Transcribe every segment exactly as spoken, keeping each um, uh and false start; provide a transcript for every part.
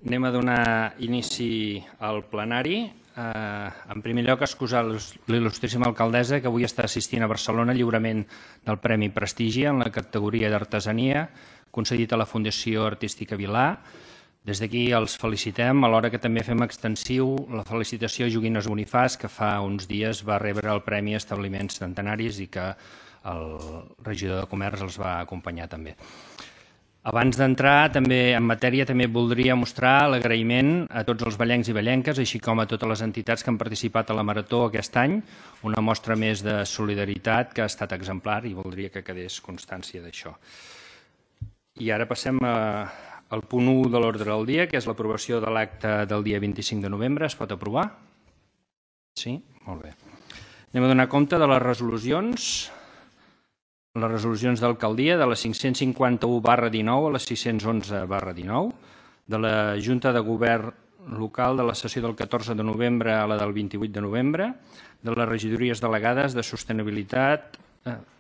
Anem a donar inici al plenari. En primer lloc, excusar l'il·lustríssima alcaldessa que avui està assistint a Barcelona al lliurament del Premi Prestigi en la categoria d'artesania concedit a la Fundació Artística Vilà. Des d'aquí els felicitem, alhora que també fem extensiu la felicitació a Joguines Bonifàs, que fa uns dies va rebre el Premi Establiments Centenaris i que el regidor de Comerç els va acompanyar també. Abans d'entrar també en matèria, també voldria mostrar l'agraïment a tots els ballencs i ballenques, així com a totes les entitats que han participat a la Marató aquest any, una mostra més de solidaritat que ha estat exemplar i voldria que quedés constància d'això. I ara passem al punt u de l'ordre del dia, que és l'aprovació de l'acte del dia vint-i-cinc de novembre. Es pot aprovar? Sí? Molt bé. Anem a donar compte de les resolucions. Les resolucions d'alcaldia de la cinc-cents cinquanta-u barra dinou a la sis-cents onze barra dinou, de la Junta de Govern local de la sessió del catorze de novembre a la del vint-i-vuit de novembre, de les regidories delegades de sostenibilitat,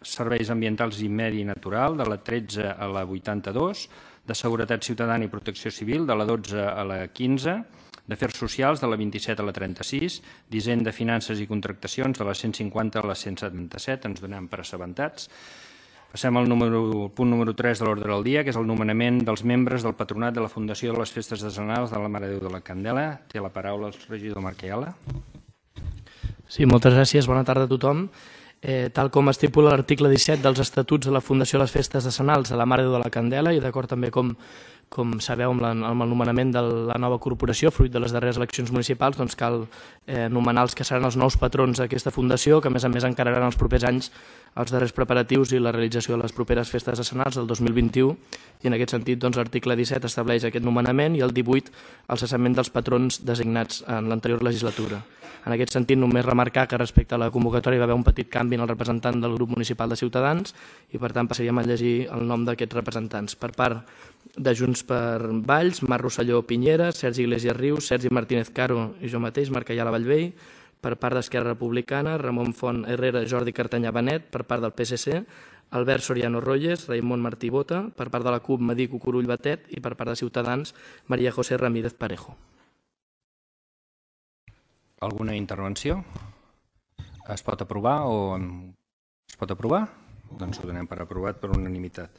serveis ambientals i medi natural, de la tretze a la vuitanta-dos, de seguretat ciutadana i protecció civil, de la dotze a la quinze, d'afers socials, de la vint-i-set a la trenta-sis, d'hisenda, finances i contractacions, de la cent cinquanta a la cent setanta-set, ens donem per assabentats. Passem al punt número tres de l'ordre del dia, que és el nomenament dels membres del patronat de la Fundació de les Festes Decenals de la Mare de Déu de la Candela. Té la paraula el regidor Marc Ayala. Sí, moltes gràcies. Bona tarda a tothom. Tal com estipula l'article disset dels Estatuts de la Fundació de les Festes Decenals de la Mare de Déu de la Candela i d'acord també com com sabeu amb el nomenament de la nova corporació, fruit de les darreres eleccions municipals, doncs cal nomenar els que seran els nous patrons d'aquesta fundació, que a més a més encararan els propers anys els darrers preparatius i la realització de les properes festes decenals del dos mil vint-i-u, i en aquest sentit l'article disset estableix aquest nomenament i el divuit el cessament dels patrons designats en l'anterior legislatura. En aquest sentit, només remarcar que respecte a la convocatòria hi va haver un petit canvi en el representant del grup municipal de Ciutadans i per tant passaríem a llegir el nom d'aquests representants. Per part de Junts per Valls, Marc Rosselló Pinyera, Sergi Iglesias Rius, Sergi Martínez Caro i jo mateix, Marc Ayala Vallvell. Per part d'Esquerra Republicana, Ramon Font Herrera, Jordi Cartanyà Benet. Per part del P S C, Albert Soriano Royes, Raimon Martí Bota. Per part de la CUP, Madic Cucurull Batet. I per part de Ciutadans, Maria José Ramírez Parejo. Alguna intervenció? Es pot aprovar o es pot aprovar? Doncs ho donem per aprovat per unanimitat.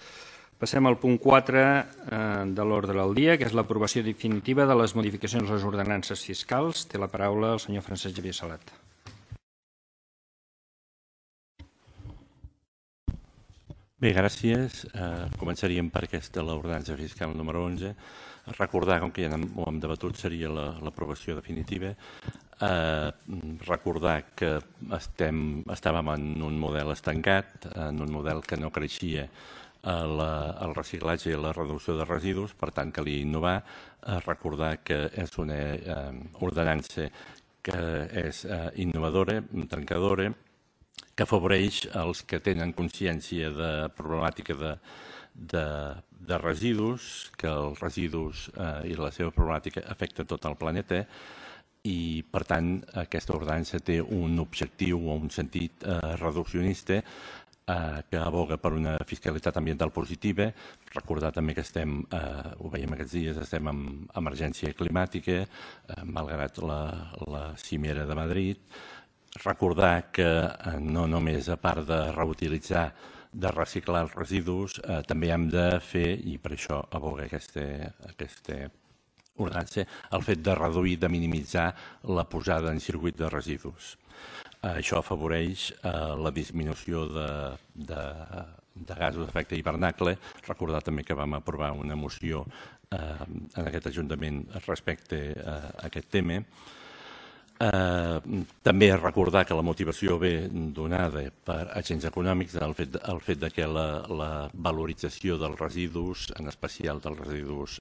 Passem al punt quatre de l'ordre del dia, que és l'aprovació definitiva de les modificacions a les ordenances fiscals. Té la paraula el senyor Francesc Xavier Salat. Bé, gràcies. Començaríem per aquesta, l'ordenança fiscal número onze. Recordar, com que ja ho hem debatut, seria l'aprovació definitiva. Recordar que estàvem en un model estancat, en un model que no creixia el reciclatge i la reducció de residus, per tant calia innovar. Recordar que és una ordenança que és innovadora, trencadora, que afavoreix els que tenen consciència de problemàtica de residus, que els residus i la seva problemàtica afecta tot el planeta i, per tant, aquesta ordenança té un objectiu o un sentit reduccionista que aboga per una fiscalitat ambiental positiva. Recordar també que estem, ho veiem aquests dies, estem en emergència climàtica, malgrat la cimera de Madrid. Recordar que no només a part de reutilitzar, de reciclar els residus, també hem de fer, i per això aboga aquesta ordenança, el fet de reduir, de minimitzar la posada en circuit de residus. Això afavoreix la disminució de gasos d'efecte hivernacle. Recordar també que vam aprovar una moció en aquest Ajuntament respecte a aquest tema. També recordar que la motivació ve donada per agents econòmics, el fet que la valorització dels residus, en especial dels residus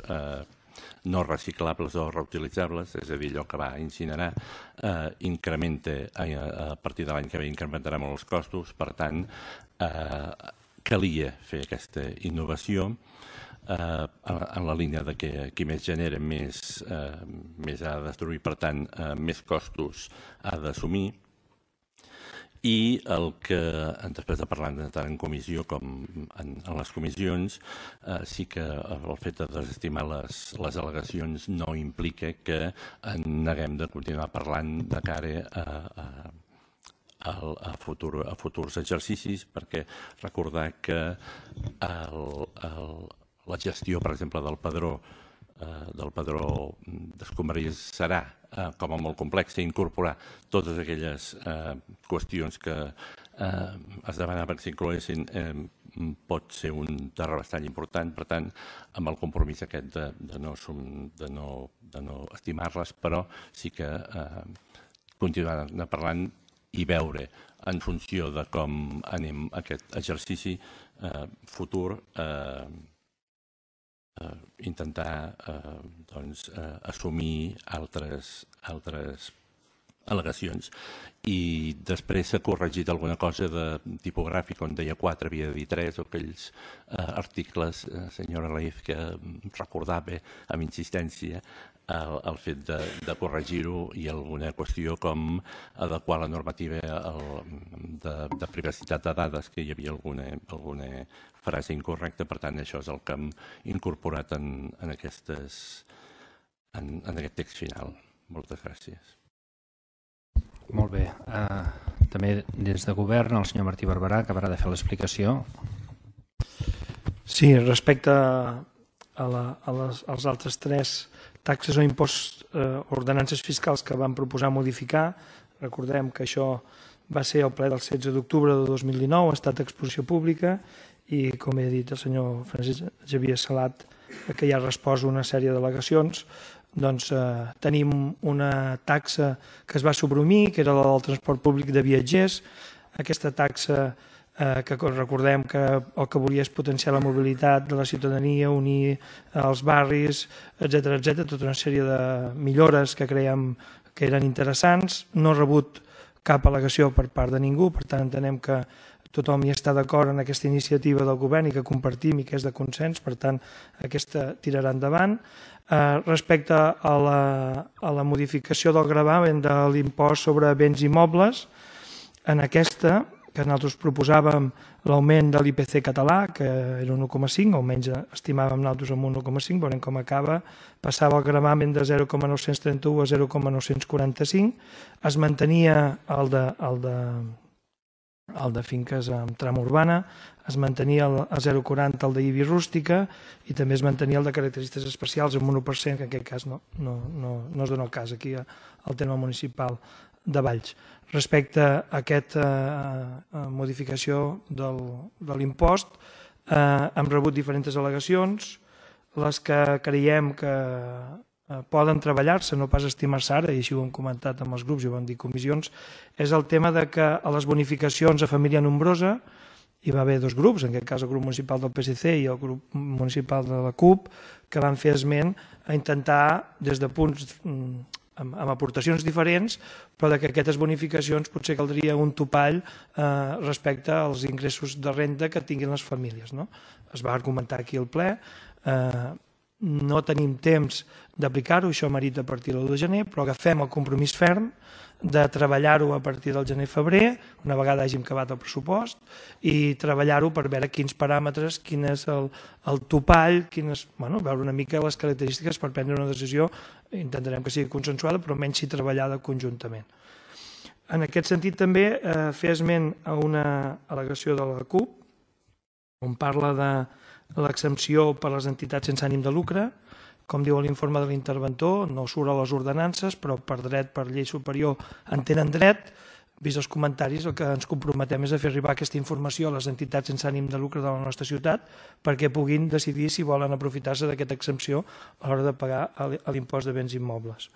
no reciclables o reutilitzables, és a dir, allò que va incinerar, incrementa, a partir de l'any que ve incrementarà molt els costos, per tant, calia fer aquesta innovació en la línia de que qui més genera més ha de destruir, per tant, més costos ha d'assumir. I el que, després de parlar tant en comissió com en, en les comissions, eh, sí que el fet de desestimar les, les al·legacions no implica que en neguem de continuar parlant de cara a, a, a, a, futur, a futurs exercicis, perquè recordar que el, el, la gestió, per exemple, del padró del padró d'escombraries serà eh, com a molt complex i incorporar totes aquelles eh, qüestions que eh, es demanaven que s'incloguessin eh, pot ser un terra bastant important. Per tant, amb el compromís aquest de, de, no, de, no, de no estimar-les, però sí que eh, continuar parlant i veure en funció de com anem aquest exercici eh, futur eh, Uh, intentar uh, doncs, uh, assumir altres, altres al·legacions. I després s'ha corregit alguna cosa de tipogràfic, on deia quatre, havia de dir tres, o aquells uh, articles, uh, senyora Leif, que recordava amb insistència el, el fet de, de corregir-ho i alguna qüestió com adequar la normativa el, de, de privacitat de dades, que hi havia alguna, alguna frase incorrecta. Per tant, això és el que hem incorporat en, en, aquestes, en, en aquest text final. Moltes gràcies. Molt bé. Uh, també des de govern, el senyor Martí Barberà acabarà de fer l'explicació. Sí, respecte a, la, a les, als altres tres taxes o imposts, eh, ordenances fiscals que van proposar modificar, recordem que això va ser el ple del setze d'octubre de dos mil dinou, ha estat exposició pública i, com he dit el senyor Francesc Xavier Salat, que ja ha respost una sèrie d'al·legacions, doncs eh, tenim una taxa que es va suprimir, que era la del transport públic de viatgers. Aquesta taxa eh, que recordem que el que volia és potenciar la mobilitat de la ciutadania, unir els barris, etcètera, etcètera, tota una sèrie de millores que creiem que eren interessants. No ha rebut cap al·legació per part de ningú, per tant entenem que tothom hi està d'acord en aquesta iniciativa del govern i que compartim i que és de consens, per tant aquesta tirarà endavant. Eh, respecte a la, a la modificació del gravamen de l'impost sobre béns immobles, en aquesta, que nosaltres proposàvem l'augment de l'I P C català, que era un un coma cinc, almenys estimàvem nosaltres amb un un coma cinc, veurem com acaba, passava el gravamen de zero coma nou-cents trenta-u a zero coma nou-cents quaranta-cinc, es mantenia el de, el de, el de finques amb tram urbana, es mantenia el, el zero coma quaranta el d'I B I rústica i també es mantenia el de característiques especials amb un u per cent, que en aquest cas no, no, no, no es dona el cas aquí al terme municipal de Valls. Respecte a aquesta eh, modificació del, de l'impost, eh, hem rebut diferents al·legacions, les que creiem que eh, poden treballar-se, no pas estimar-se ara, i així ho hem comentat amb els grups i ho vam dir comissions, és el tema de que a les bonificacions a família nombrosa hi va haver dos grups, en aquest cas el grup municipal del P S C i el grup municipal de la C U P, que van fer esment a intentar, des de punts amb, amb aportacions diferents, però que aquestes bonificacions potser caldria un topall eh, respecte als ingressos de renda que tinguin les famílies. No? Es va argumentar aquí al ple, eh, no tenim temps d'aplicar-ho, això merita a partir del l'u de gener, però agafem el compromís ferm de treballar-ho a partir del gener-febrer, una vegada hàgim acabat el pressupost, i treballar-ho per veure quins paràmetres, quin és el, el topall, quines, bueno, veure una mica les característiques per prendre una decisió, intentarem que sigui consensuada, però menys si treballada conjuntament. En aquest sentit també eh, fer esment a una al·legació de la C U P, on parla de l'exempció per a les entitats sense ànim de lucre. Com diu l'informe de l'interventor, no surt a les ordenances, però per dret, per llei superior, en tenen dret. Vist els comentaris, el que ens comprometem és a fer arribar aquesta informació a les entitats sense ànim de lucre de la nostra ciutat perquè puguin decidir si volen aprofitar-se d'aquesta exempció a l'hora de pagar l'impost de béns immobles.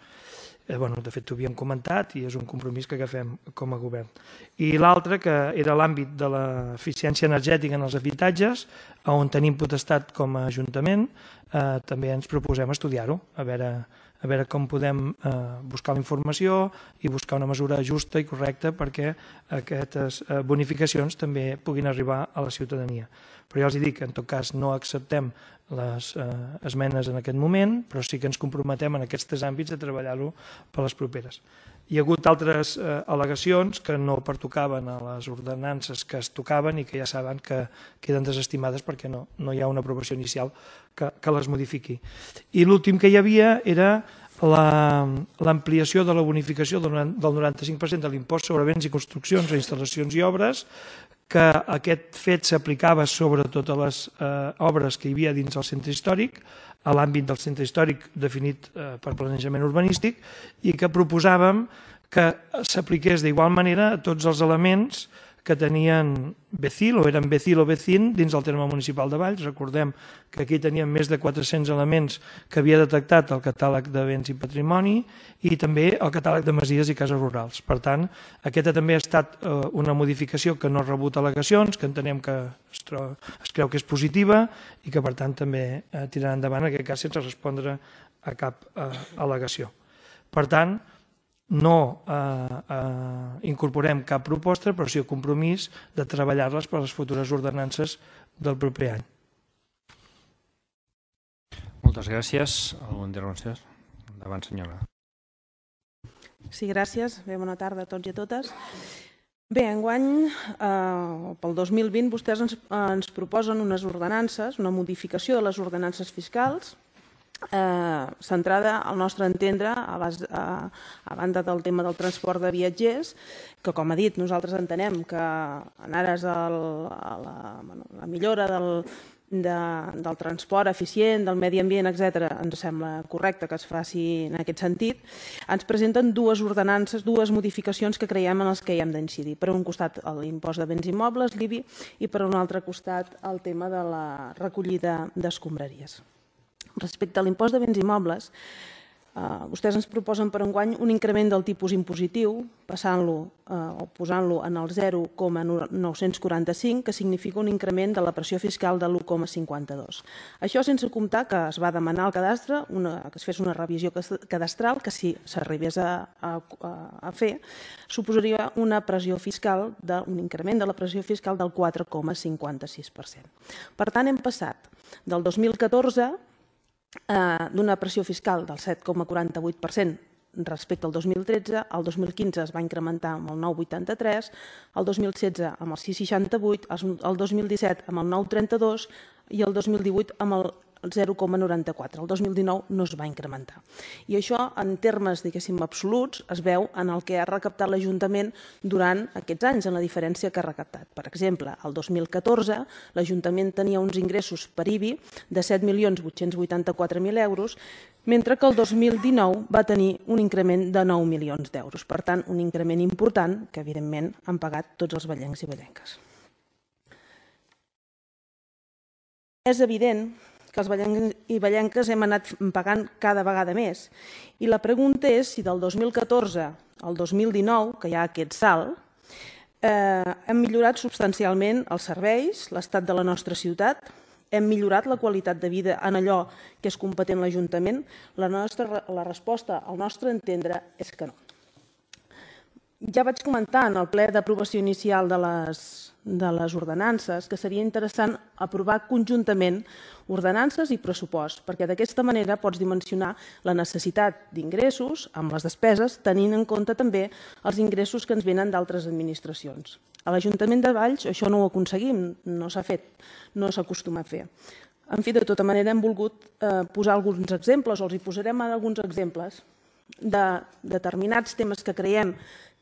Eh, bueno, de fet, ho havíem comentat i és un compromís que agafem com a govern. I l'altre, que era l'àmbit de l'eficiència energètica en els habitatges, on tenim potestat com a Ajuntament, eh, també ens proposem estudiar-ho, a veure, a veure com podem eh, buscar la informació i buscar una mesura justa i correcta perquè aquestes eh, bonificacions també puguin arribar a la ciutadania. Però ja els dic que en tot cas no acceptem les eh, esmenes en aquest moment, però sí que ens comprometem en aquests tres àmbits a treballar-ho per les properes. Hi ha hagut altres eh, al·legacions que no pertocaven a les ordenances que es tocaven i que ja saben que queden desestimades perquè no, no hi ha una aprovació inicial que, que les modifiqui. I l'últim que hi havia era l'ampliació de la bonificació del noranta-cinc per cent de l'impost sobre béns i construccions, instal·lacions i obres, que aquest fet s'aplicava sobre totes les eh, obres que hi havia dins del centre històric, a l'àmbit del centre històric definit eh, per planejament urbanístic, i que proposàvem que s'apliqués d'igual manera a tots els elements que tenien Becil, o eren Becil o Becin, dins del terme municipal de Valls. Recordem que aquí teníem més de quatre-cents elements que havia detectat el catàleg de béns i patrimoni i també el catàleg de masies i cases rurals. Per tant, aquesta també ha estat una modificació que no ha rebut al·legacions, que entenem que es, troba, es creu que és positiva i que per tant també tirarà endavant, en aquest cas sense respondre a cap eh, al·legació. Per tant, no eh, eh, incorporem cap proposta, però sí el compromís de treballar-les per a les futures ordenances del proper any. Moltes gràcies. Alguna intervenció? Endavant, senyora. Sí, gràcies. Bé, bona tarda a tots i a totes. Bé, enguany, eh, pel dos mil vint, vostès ens, ens proposen unes ordenances, una modificació de les ordenances fiscals, Eh, centrada, al nostre entendre, a, base, a, a banda del tema del transport de viatgers, que, com ha dit, nosaltres entenem que en ares el, a la, bueno, la millora del, de, del transport eficient, del medi ambient, etcètera, ens sembla correcte que es faci en aquest sentit. Ens presenten dues ordenances, dues modificacions que creiem en les que hi hem d'incidir. Per un costat, l'impost de béns immobles, l'I B I, i per un altre costat, el tema de la recollida d'escombraries. Respecte a l'impost de béns immobles, eh, vostès ens proposen per enguany un increment del tipus impositiu, passant-lo eh, o posant-lo en el zero coma nou-cents quaranta-cinc, que significa un increment de la pressió fiscal de l'u coma cinquanta-dos. Això sense comptar que es va demanar al cadastre una, que es fes una revisió cadastral que, si s'arribés a, a, a fer, suposaria una pressió fiscal, de, un increment de la pressió fiscal del quatre coma cinquanta-sis per cent. Per tant, hem passat del dos mil catorze d'una pressió fiscal del set coma quaranta-vuit per cent respecte al dos mil tretze, el dos mil quinze es va incrementar amb el nou coma vuitanta-tres, el dos mil setze amb el sis coma seixanta-vuit, el dos mil disset amb el nou coma trenta-dos i el dos mil divuit amb el zero coma noranta-quatre. El dos mil dinou no es va incrementar. I això, en termes, diguéssim, absoluts, es veu en el que ha recaptat l'Ajuntament durant aquests anys, en la diferència que ha recaptat. Per exemple, el dos mil catorze, l'Ajuntament tenia uns ingressos per I B I de set milions vuit-cents vuitanta-quatre mil euros, mentre que el dos mil dinou va tenir un increment de nou milions d'euros. Per tant, un increment important que, evidentment, han pagat tots els vallencs i vallenques. És evident que els vallencs i vallenques hem anat pagant cada vegada més. I la pregunta és si del dos mil catorze al dos mil dinou, que hi ha aquest salt, eh, hem millorat substancialment els serveis, l'estat de la nostra ciutat, hem millorat la qualitat de vida en allò que és competent l'Ajuntament. La, nostra, la resposta, al nostre entendre, és que no. Ja vaig comentar en el ple d'aprovació inicial de les, de les ordenances que seria interessant aprovar conjuntament ordenances i pressupost, perquè d'aquesta manera pots dimensionar la necessitat d'ingressos amb les despeses, tenint en compte també els ingressos que ens venen d'altres administracions. A l'Ajuntament de Valls això no ho aconseguim, no s'ha fet, no s'acostuma a fer. En fi, de tota manera hem volgut eh, posar alguns exemples, o els hi posarem alguns exemples de determinats temes que creiem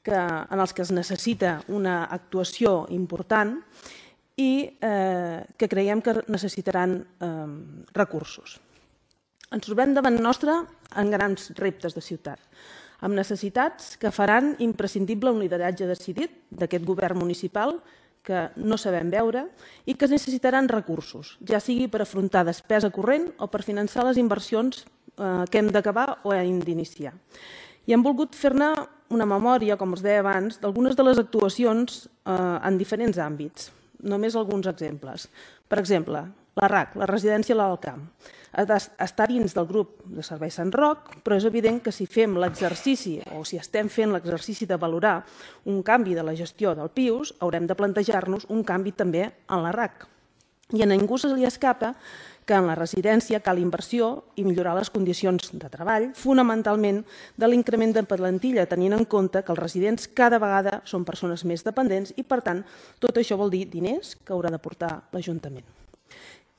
que, en els que es necessita una actuació important i eh, que creiem que necessitaran eh, recursos. Ens trobem davant nostre en grans reptes de ciutat, amb necessitats que faran imprescindible un lideratge decidit d'aquest govern municipal que no sabem veure i que necessitaran recursos, ja sigui per afrontar despesa corrent o per finançar les inversions eh, que hem d'acabar o hem d'iniciar. I hem volgut fer-ne una memòria, com els deia abans, d'algunes de les actuacions eh, en diferents àmbits. Només alguns exemples. Per exemple, La R A C, la residència a l'Alt Camp, està dins del grup de Serveis Sant Roc, però és evident que si fem l'exercici o si estem fent l'exercici de valorar un canvi de la gestió del P I U S, haurem de plantejar-nos un canvi també en la R A C. I a ningú se li escapa que en la residència cal inversió i millorar les condicions de treball, fonamentalment de l'increment de plantilla, tenint en compte que els residents cada vegada són persones més dependents i, per tant, tot això vol dir diners que haurà de portar l'Ajuntament.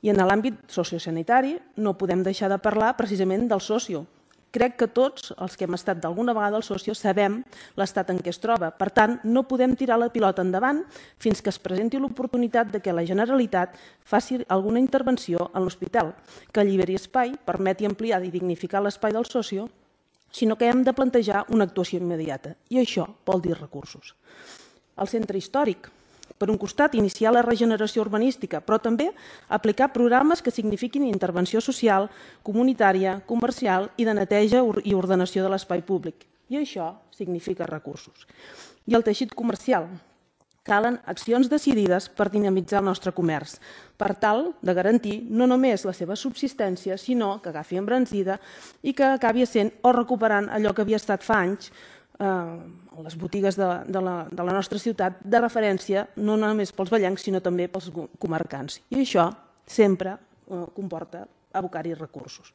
I en l'àmbit sociosanitari no podem deixar de parlar precisament del socio. Crec que tots els que hem estat d'alguna vegada al socio sabem l'estat en què es troba. Per tant, no podem tirar la pilota endavant fins que es presenti l'oportunitat de que la Generalitat faci alguna intervenció en l'hospital, que alliberi espai, permeti ampliar i dignificar l'espai del socio, sinó que hem de plantejar una actuació immediata. I això vol dir recursos. El centre històric. Per un costat, iniciar la regeneració urbanística, però també aplicar programes que signifiquin intervenció social, comunitària, comercial i de neteja i ordenació de l'espai públic. I això significa recursos. I el teixit comercial. Calen accions decidides per dinamitzar el nostre comerç, per tal de garantir no només la seva subsistència, sinó que agafi embranzida i que acabi sent o recuperant allò que havia estat fa anys a les botigues de, de, la, de la nostra ciutat de referència no només pels vallencs sinó també pels comarcants. I això sempre eh, comporta abocar-hi recursos.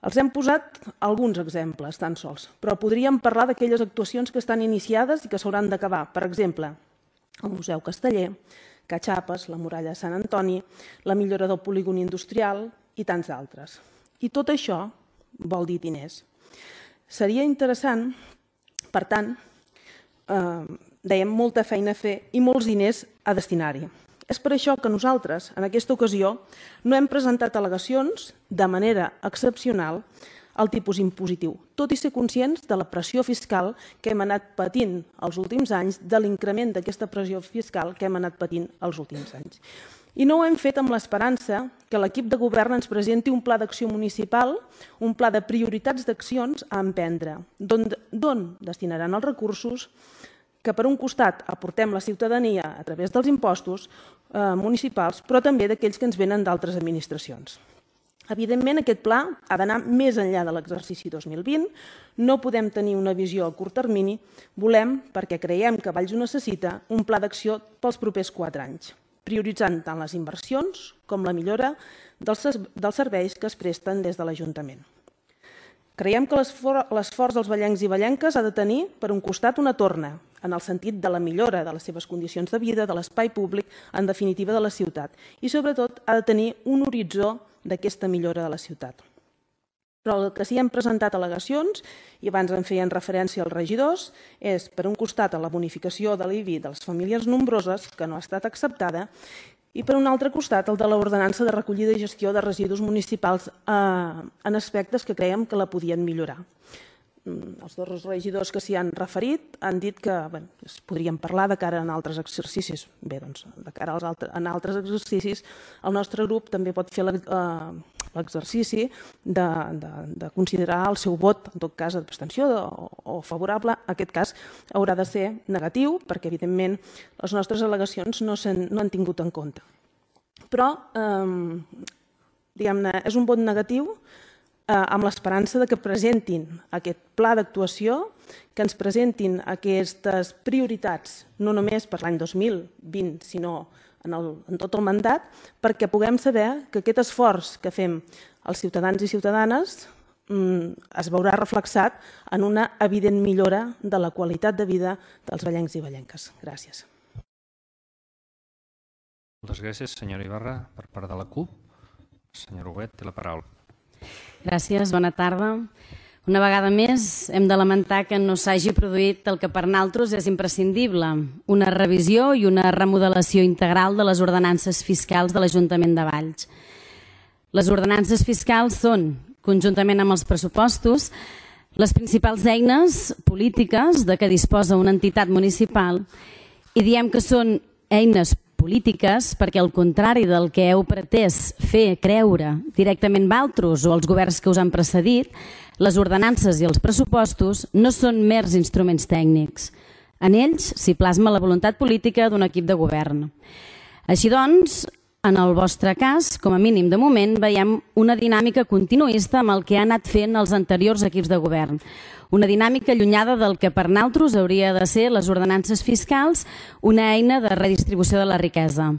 Els hem posat alguns exemples tan sols, però podríem parlar d'aquelles actuacions que estan iniciades i que s'hauran d'acabar. Per exemple, el Museu Casteller, Catxapes, la Muralla de Sant Antoni, la millora del polígon industrial i tants altres. I tot això vol dir diners. Seria interessant, per tant, eh, dèiem molta feina a fer i molts diners a destinar-hi. És per això que nosaltres, en aquesta ocasió, no hem presentat al·legacions de manera excepcional al tipus impositiu, tot i ser conscients de la pressió fiscal que hem anat patint els últims anys, de l'increment d'aquesta pressió fiscal que hem anat patint els últims anys. I no ho hem fet amb l'esperança que l'equip de govern ens presenti un pla d'acció municipal, un pla de prioritats d'accions a emprendre, d'on destinaran els recursos que per un costat aportem la ciutadania a través dels impostos municipals, però també d'aquells que ens venen d'altres administracions. Evidentment, aquest pla ha d'anar més enllà de l'exercici dos mil vint, no podem tenir una visió a curt termini, volem, perquè creiem que Valls ho necessita, un pla d'acció pels propers quatre anys, prioritzant tant les inversions com la millora dels serveis que es presten des de l'Ajuntament. Creiem que l'esforç dels vallencs i vallenques ha de tenir, per un costat, una torna, en el sentit de la millora de les seves condicions de vida, de l'espai públic, en definitiva de la ciutat, i sobretot ha de tenir un horitzó d'aquesta millora de la ciutat. Però el que sí hem presentat al·legacions, i abans en feien referència als regidors, és, per un costat, a la bonificació de l'I B I de les famílies nombroses, que no ha estat acceptada, i per un altre costat, el de l'ordenança de recollida i gestió de residus municipals en aspectes que creiem que la podien millorar. Els dos regidors que s'hi han referit han dit que es podrien parlar de cara a altres exercicis. Bé, doncs, de cara a altres exercicis, el nostre grup també pot fer l'exercici de considerar el seu vot, en tot cas, d'abstenció o favorable. En aquest cas haurà de ser negatiu, perquè, evidentment, les nostres al·legacions no han tingut en compte. Però, diguem-ne, és un vot negatiu amb l'esperança que presentin aquest pla d'actuació, que ens presentin aquestes prioritats, no només per l'any dos mil vint, sinó en tot el mandat, perquè puguem saber que aquest esforç que fem els ciutadans i ciutadanes es veurà reflexat en una evident millora de la qualitat de vida dels vallencs i vallenques. Gràcies. Moltes gràcies, senyora Ibarra. Per part de la CUP, senyor Huguet, té la paraula. Gràcies, bona tarda. Una vegada més hem de lamentar que no s'hagi produït el que per nosaltres és imprescindible, una revisió i una remodelació integral de les ordenances fiscals de l'Ajuntament de Valls. Les ordenances fiscals són, conjuntament amb els pressupostos, les principals eines polítiques de què disposa una entitat municipal i diem que són eines polítiques perquè, al contrari del que heu pretès fer creure directament vosaltres o els governs que us han precedit, les ordenances i els pressupostos no són mers instruments tècnics. En ells s'hi plasma la voluntat política d'un equip de govern. Així doncs, en el vostre cas, com a mínim de moment, veiem una dinàmica continuista amb el que han anat fent els anteriors equips de govern. Una dinàmica allunyada del que per nosaltres hauria de ser les ordenances fiscals, una eina de redistribució de la riquesa.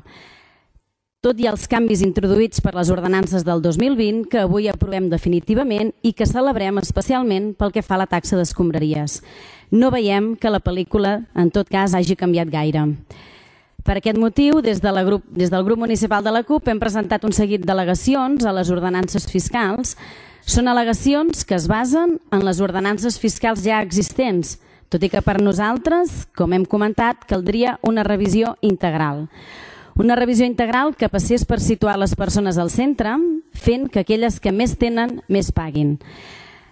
Tot i els canvis introduïts per les ordenances del dos mil vint, que avui aprovem definitivament i que celebrem especialment pel que fa a la taxa d'escombraries. No veiem que la pel·lícula, en tot cas, hagi canviat gaire. Per aquest motiu, des, de la grup, des del grup municipal de la CUP hem presentat un seguit d'al·legacions a les ordenances fiscals. Són al·legacions que es basen en les ordenances fiscals ja existents, tot i que per nosaltres, com hem comentat, caldria una revisió integral. Una revisió integral que passés per situar les persones al centre, fent que aquelles que més tenen, més paguin.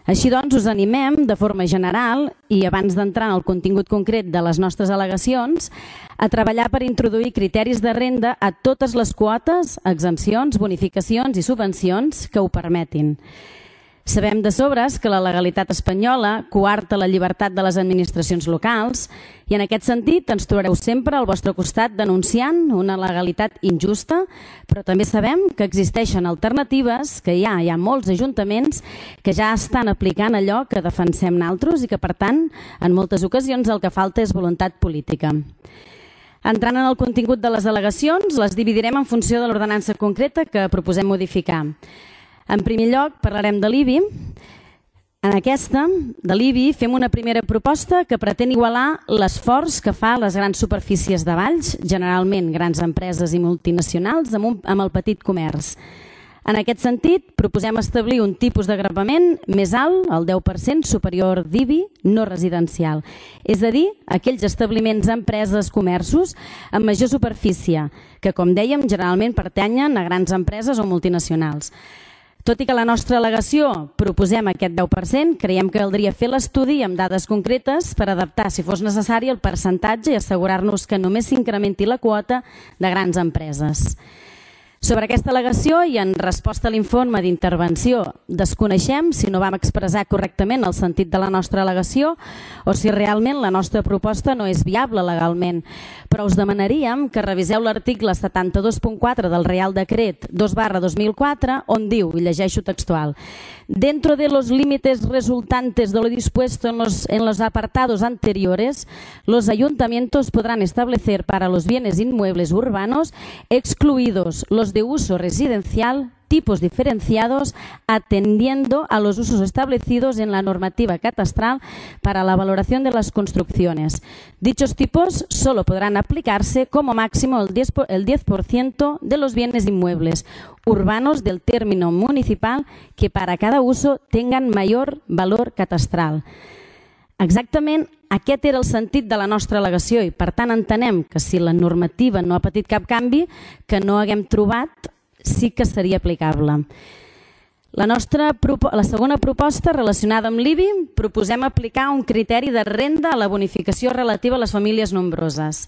Així doncs, us animem de forma general i abans d'entrar en el contingut concret de les nostres al·legacions a treballar per introduir criteris de renda a totes les quotes, exempcions, bonificacions i subvencions que ho permetin. Sabem de sobres que la legalitat espanyola coarta la llibertat de les administracions locals i en aquest sentit ens trobareu sempre al vostre costat denunciant una legalitat injusta, però també sabem que existeixen alternatives, que hi ha, hi ha molts ajuntaments que ja estan aplicant allò que defensem nosaltres i que, per tant, en moltes ocasions el que falta és voluntat política. Entrant en el contingut de les al·legacions, les dividirem en funció de l'ordenança concreta que proposem modificar. En primer lloc, parlarem de l'I B I. En aquesta, de l'I B I, fem una primera proposta que pretén igualar l'esforç que fa les grans superfícies de Valls, generalment grans empreses i multinacionals, amb, un, amb el petit comerç. En aquest sentit, proposem establir un tipus de gravament més alt, el deu per cent, superior d'I B I, no residencial. És a dir, aquells establiments, empreses, comerços amb major superfície, que, com dèiem, generalment pertanyen a grans empreses o multinacionals. Tot i que a la nostra al·legació proposem aquest deu per cent, creiem que caldria fer l'estudi amb dades concretes per adaptar, si fos necessari, el percentatge i assegurar-nos que només s'incrementi la quota de grans empreses. Sobre aquesta al·legació i en resposta a l'informe d'intervenció, desconeixem si no vam expressar correctament el sentit de la nostra al·legació o si realment la nostra proposta no és viable legalment. Però us demanaríem que reviseu l'article setanta-dos punt quatre del Real Decret dos barra dos mil quatre, on diu, i llegeixo textual, dentro de los límites resultantes de lo dispuesto en los, en los apartados anteriores, los ayuntamientos podrán establecer para los bienes inmuebles urbanos, excluidos los de uso residencial, tipos diferenciados, atendiendo a los usos establecidos en la normativa catastral para la valoración de las construcciones. Dichos tipos solo podrán aplicarse como máximo el diez por ciento de los bienes inmuebles urbanos del término municipal que para cada uso tengan mayor valor catastral. Exactament aquest era el sentit de la nostra al·legació i, per tant, entenem que si la normativa no ha patit cap canvi, que no haguem trobat, sí que seria aplicable. La, nostra, la segona proposta relacionada amb l'I B I, proposem aplicar un criteri de renda a la bonificació relativa a les famílies nombroses.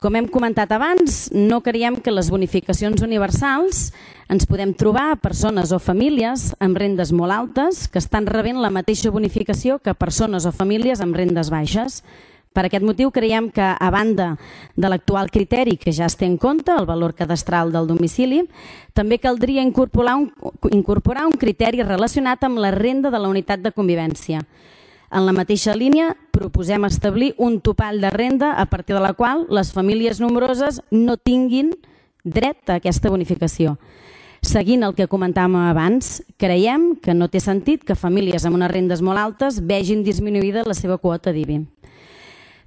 Com hem comentat abans, no creiem que les bonificacions universals ens podem trobar a persones o famílies amb rendes molt altes que estan rebent la mateixa bonificació que persones o famílies amb rendes baixes. Per aquest motiu creiem que, a banda de l'actual criteri que ja es té en compte, el valor cadastral del domicili, també caldria incorporar un, incorporar un criteri relacionat amb la renda de la unitat de convivència. En la mateixa línia, proposem establir un topall de renda a partir de la qual les famílies nombroses no tinguin dret a aquesta bonificació. Seguint el que comentàvem abans, creiem que no té sentit que famílies amb unes rendes molt altes vegin disminuïda la seva quota d'I B I.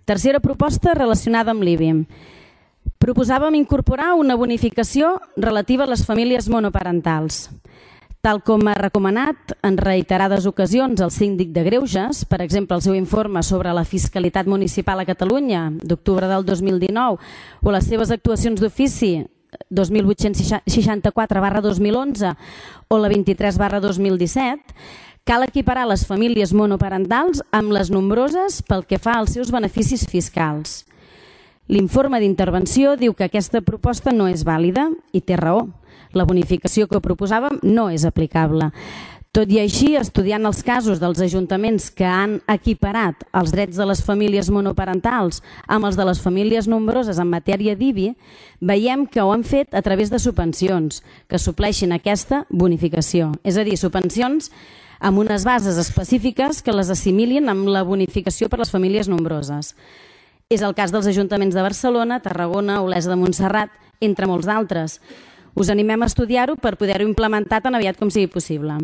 Tercera proposta relacionada amb l'I B I. Proposàvem incorporar una bonificació relativa a les famílies monoparentals. Tal com ha recomanat en reiterades ocasions el síndic de Greuges, per exemple, el seu informe sobre la fiscalitat municipal a Catalunya d'octubre del dos mil dinou o les seves actuacions d'ofici dos mil vuit-cents seixanta-quatre barra dos mil onze o la vint-i-tres barra dos mil disset, cal equiparar les famílies monoparentals amb les nombroses pel que fa als seus beneficis fiscals. L'informe d'intervenció diu que aquesta proposta no és vàlida i té raó. La bonificació que proposàvem no és aplicable. Tot i així, estudiant els casos dels ajuntaments que han equiparat els drets de les famílies monoparentals amb els de les famílies nombroses en matèria d'I B I, veiem que ho han fet a través de subvencions que supleixin aquesta bonificació. És a dir, subvencions amb unes bases específiques que les assimilin amb la bonificació per les famílies nombroses. És el cas dels ajuntaments de Barcelona, Tarragona, Olesa de Montserrat, entre molts d'altres. Us animem a estudiar-ho per poder-ho implementar tan aviat com sigui possible.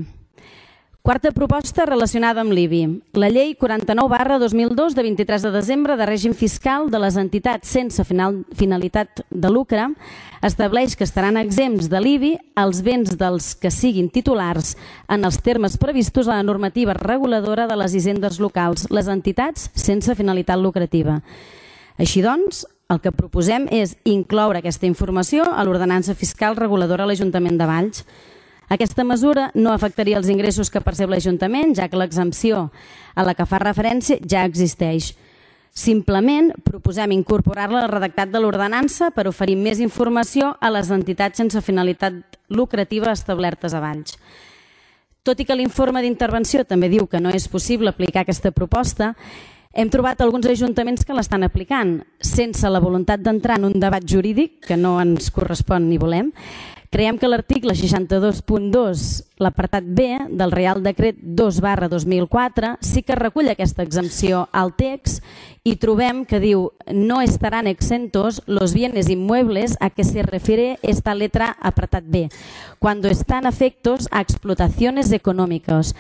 Quarta proposta relacionada amb l'I B I. La llei quaranta-nou barra dos mil dos de vint-i-tres de desembre de règim fiscal de les entitats sense finalitat de lucre estableix que estaran exempts de l'I B I els béns dels que siguin titulars en els termes previstos a la normativa reguladora de les hisendes locals, les entitats sense finalitat lucrativa. Així doncs, el que proposem és incloure aquesta informació a l'ordenança fiscal reguladora a l'Ajuntament de Valls. Aquesta mesura no afectaria els ingressos que percep l'Ajuntament, ja que l'exempció a la que fa referència ja existeix. Simplement proposem incorporar-la al redactat de l'ordenança per oferir més informació a les entitats sense finalitat lucrativa establertes a Valls. Tot i que l'informe d'intervenció també diu que no és possible aplicar aquesta proposta, hem trobat alguns ajuntaments que l'estan aplicant, sense la voluntat d'entrar en un debat jurídic, que no ens correspon ni volem. Creiem que l'article seixanta-dos punt dos, l'apartat B del Reial Decret dos barra dos mil quatre, sí que recull aquesta exempció al text y trobem que diu no estarán exentos los bienes inmuebles a que se refiere esta letra apartat B, cuando están afectos a explotaciones económicas,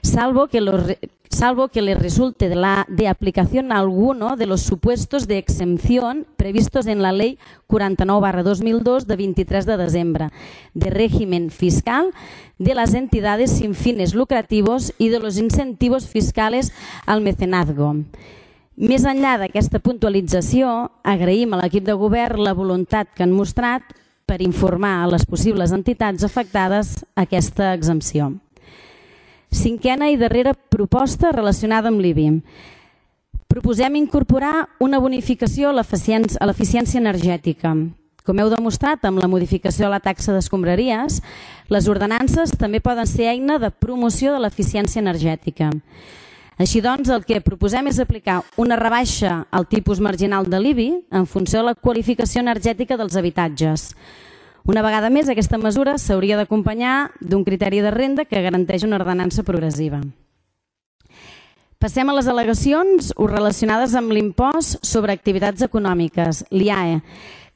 salvo que, los, salvo que les resulte de, la, de aplicación alguno de los supuestos de exención previstos en la Ley quaranta-nou barra dos mil dos de vint-i-tres de desembre, de régimen fiscal de las entidades sin fines lucrativos y de los incentivos fiscales al mecenazgo. Més enllà d'aquesta puntualització, agraïm a l'equip de govern la voluntat que han mostrat per informar a les possibles entitats afectades a aquesta exempció. Cinquena i darrera proposta relacionada amb l'I B I. Proposem incorporar una bonificació a l'eficiència energètica. Com heu demostrat amb la modificació de la taxa d'escombraries, les ordenances també poden ser eina de promoció de l'eficiència energètica. Així doncs, el que proposem és aplicar una rebaixa al tipus marginal de l'I B I en funció de la qualificació energètica dels habitatges. Una vegada més, aquesta mesura s'hauria d'acompanyar d'un criteri de renda que garanteix una ordenança progressiva. Passem a les al·legacions relacionades amb l'impost sobre activitats econòmiques, l'I A E,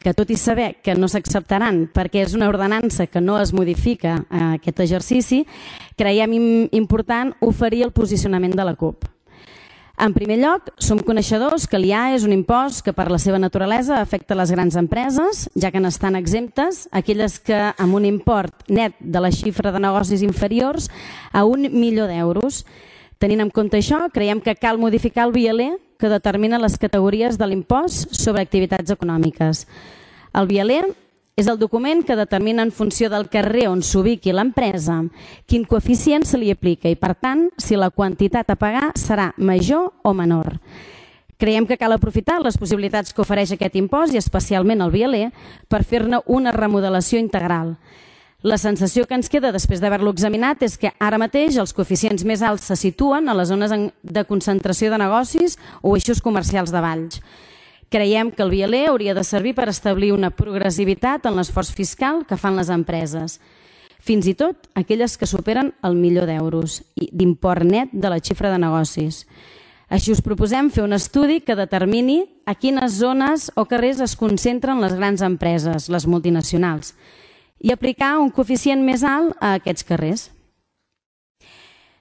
que tot i saber que no s'acceptaran perquè és una ordenança que no es modifica a aquest exercici, creiem important oferir el posicionament de la CUP. En primer lloc, som coneixedors que l'I A E és un impost que per la seva naturalesa afecta les grans empreses, ja que n'estan exemptes aquelles que amb un import net de la xifra de negocis inferiors a un milió d'euros. Tenint en compte això, creiem que cal modificar el V I L E que determina les categories de l'impost sobre activitats econòmiques. El V I L E és el document que determina en funció del carrer on s'ubiqui l'empresa quin coeficient se li aplica i, per tant, si la quantitat a pagar serà major o menor. Creiem que cal aprofitar les possibilitats que ofereix aquest impost i especialment el V I L E per fer-ne una remodelació integral. La sensació que ens queda després d'haver-lo examinat és que ara mateix els coeficients més alts se situen a les zones de concentració de negocis o eixos comercials de Valls. Creiem que el V I L E hauria de servir per establir una progressivitat en l'esforç fiscal que fan les empreses, fins i tot aquelles que superen el milió d'euros d'import net de la xifra de negocis. Així us proposem fer un estudi que determini a quines zones o carrers es concentren les grans empreses, les multinacionals, i aplicar un coeficient més alt a aquests carrers.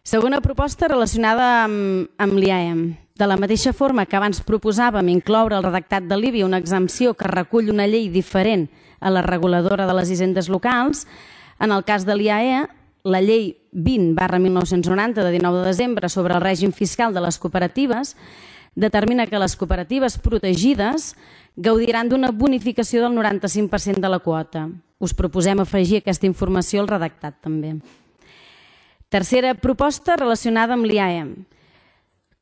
Segona proposta relacionada amb, amb l'I A E. De la mateixa forma que abans proposàvem incloure al redactat de l'I B I una exempció que recull una llei diferent a la reguladora de les hisendes locals, en el cas de l'I A E, la llei vint barra mil nou-cents noranta de dinou de desembre sobre el règim fiscal de les cooperatives determina que les cooperatives protegides gaudiran d'una bonificació del noranta-cinc per cent de la quota. Us proposem afegir aquesta informació al redactat també. Tercera proposta relacionada amb l'I A E.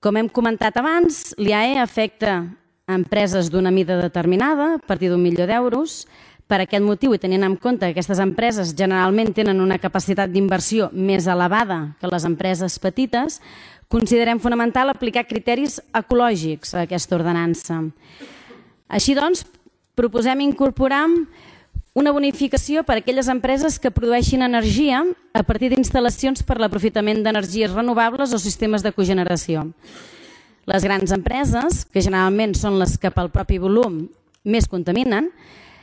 Com hem comentat abans, l'I A E afecta a empreses d'una mida determinada, a partir d'un milió d'euros. Per aquest motiu, i tenint en compte que aquestes empreses generalment tenen una capacitat d'inversió més elevada que les empreses petites, considerem fonamental aplicar criteris ecològics a aquesta ordenança. Així doncs, proposem incorporar una bonificació per a aquelles empreses que produeixin energia a partir d'instal·lacions per l'aprofitament d'energies renovables o sistemes de cogeneració. Les grans empreses, que generalment són les que pel propi volum més contaminen,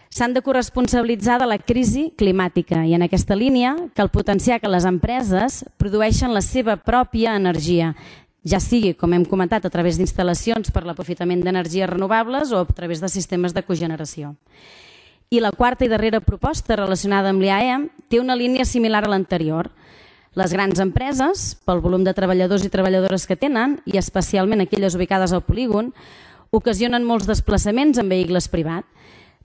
s'han de corresponsabilitzar de la crisi climàtica i en aquesta línia cal potenciar que les empreses produeixen la seva pròpia energia, ja sigui, com hem comentat, a través d'instal·lacions per l'aprofitament d'energies renovables o a través de sistemes de cogeneració. I la quarta i darrera proposta relacionada amb l'I A E té una línia similar a l'anterior. Les grans empreses, pel volum de treballadors i treballadores que tenen, i especialment aquelles ubicades al polígon, ocasionen molts desplaçaments en vehicles privats.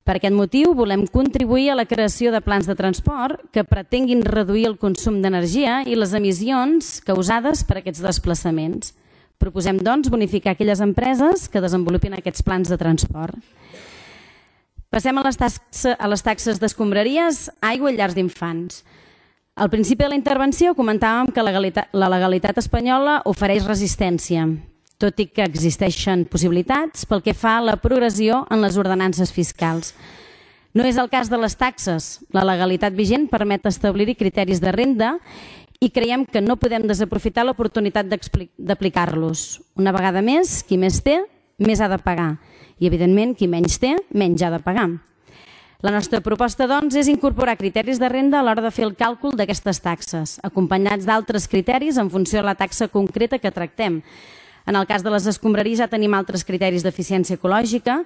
Per aquest motiu, volem contribuir a la creació de plans de transport que pretenguin reduir el consum d'energia i les emissions causades per aquests desplaçaments. Proposem, doncs, bonificar aquelles empreses que desenvolupin aquests plans de transport. Passem a les, taxes, a les taxes d'escombraries, aigua i llars d'infants. Al principi de la intervenció comentàvem que la legalitat, la legalitat espanyola ofereix resistència, tot i que existeixen possibilitats pel que fa a la progressió en les ordenances fiscals. No és el cas de les taxes. La legalitat vigent permet establir-hi criteris de renda i creiem que no podem desaprofitar l'oportunitat d'aplicar-los. Una vegada més, qui més té, més ha de pagar. I, evidentment, qui menys té, menys ha de pagar. La nostra proposta, doncs, és incorporar criteris de renda a l'hora de fer el càlcul d'aquestes taxes, acompanyats d'altres criteris en funció de la taxa concreta que tractem. En el cas de les escombraries ja tenim altres criteris d'eficiència ecològica.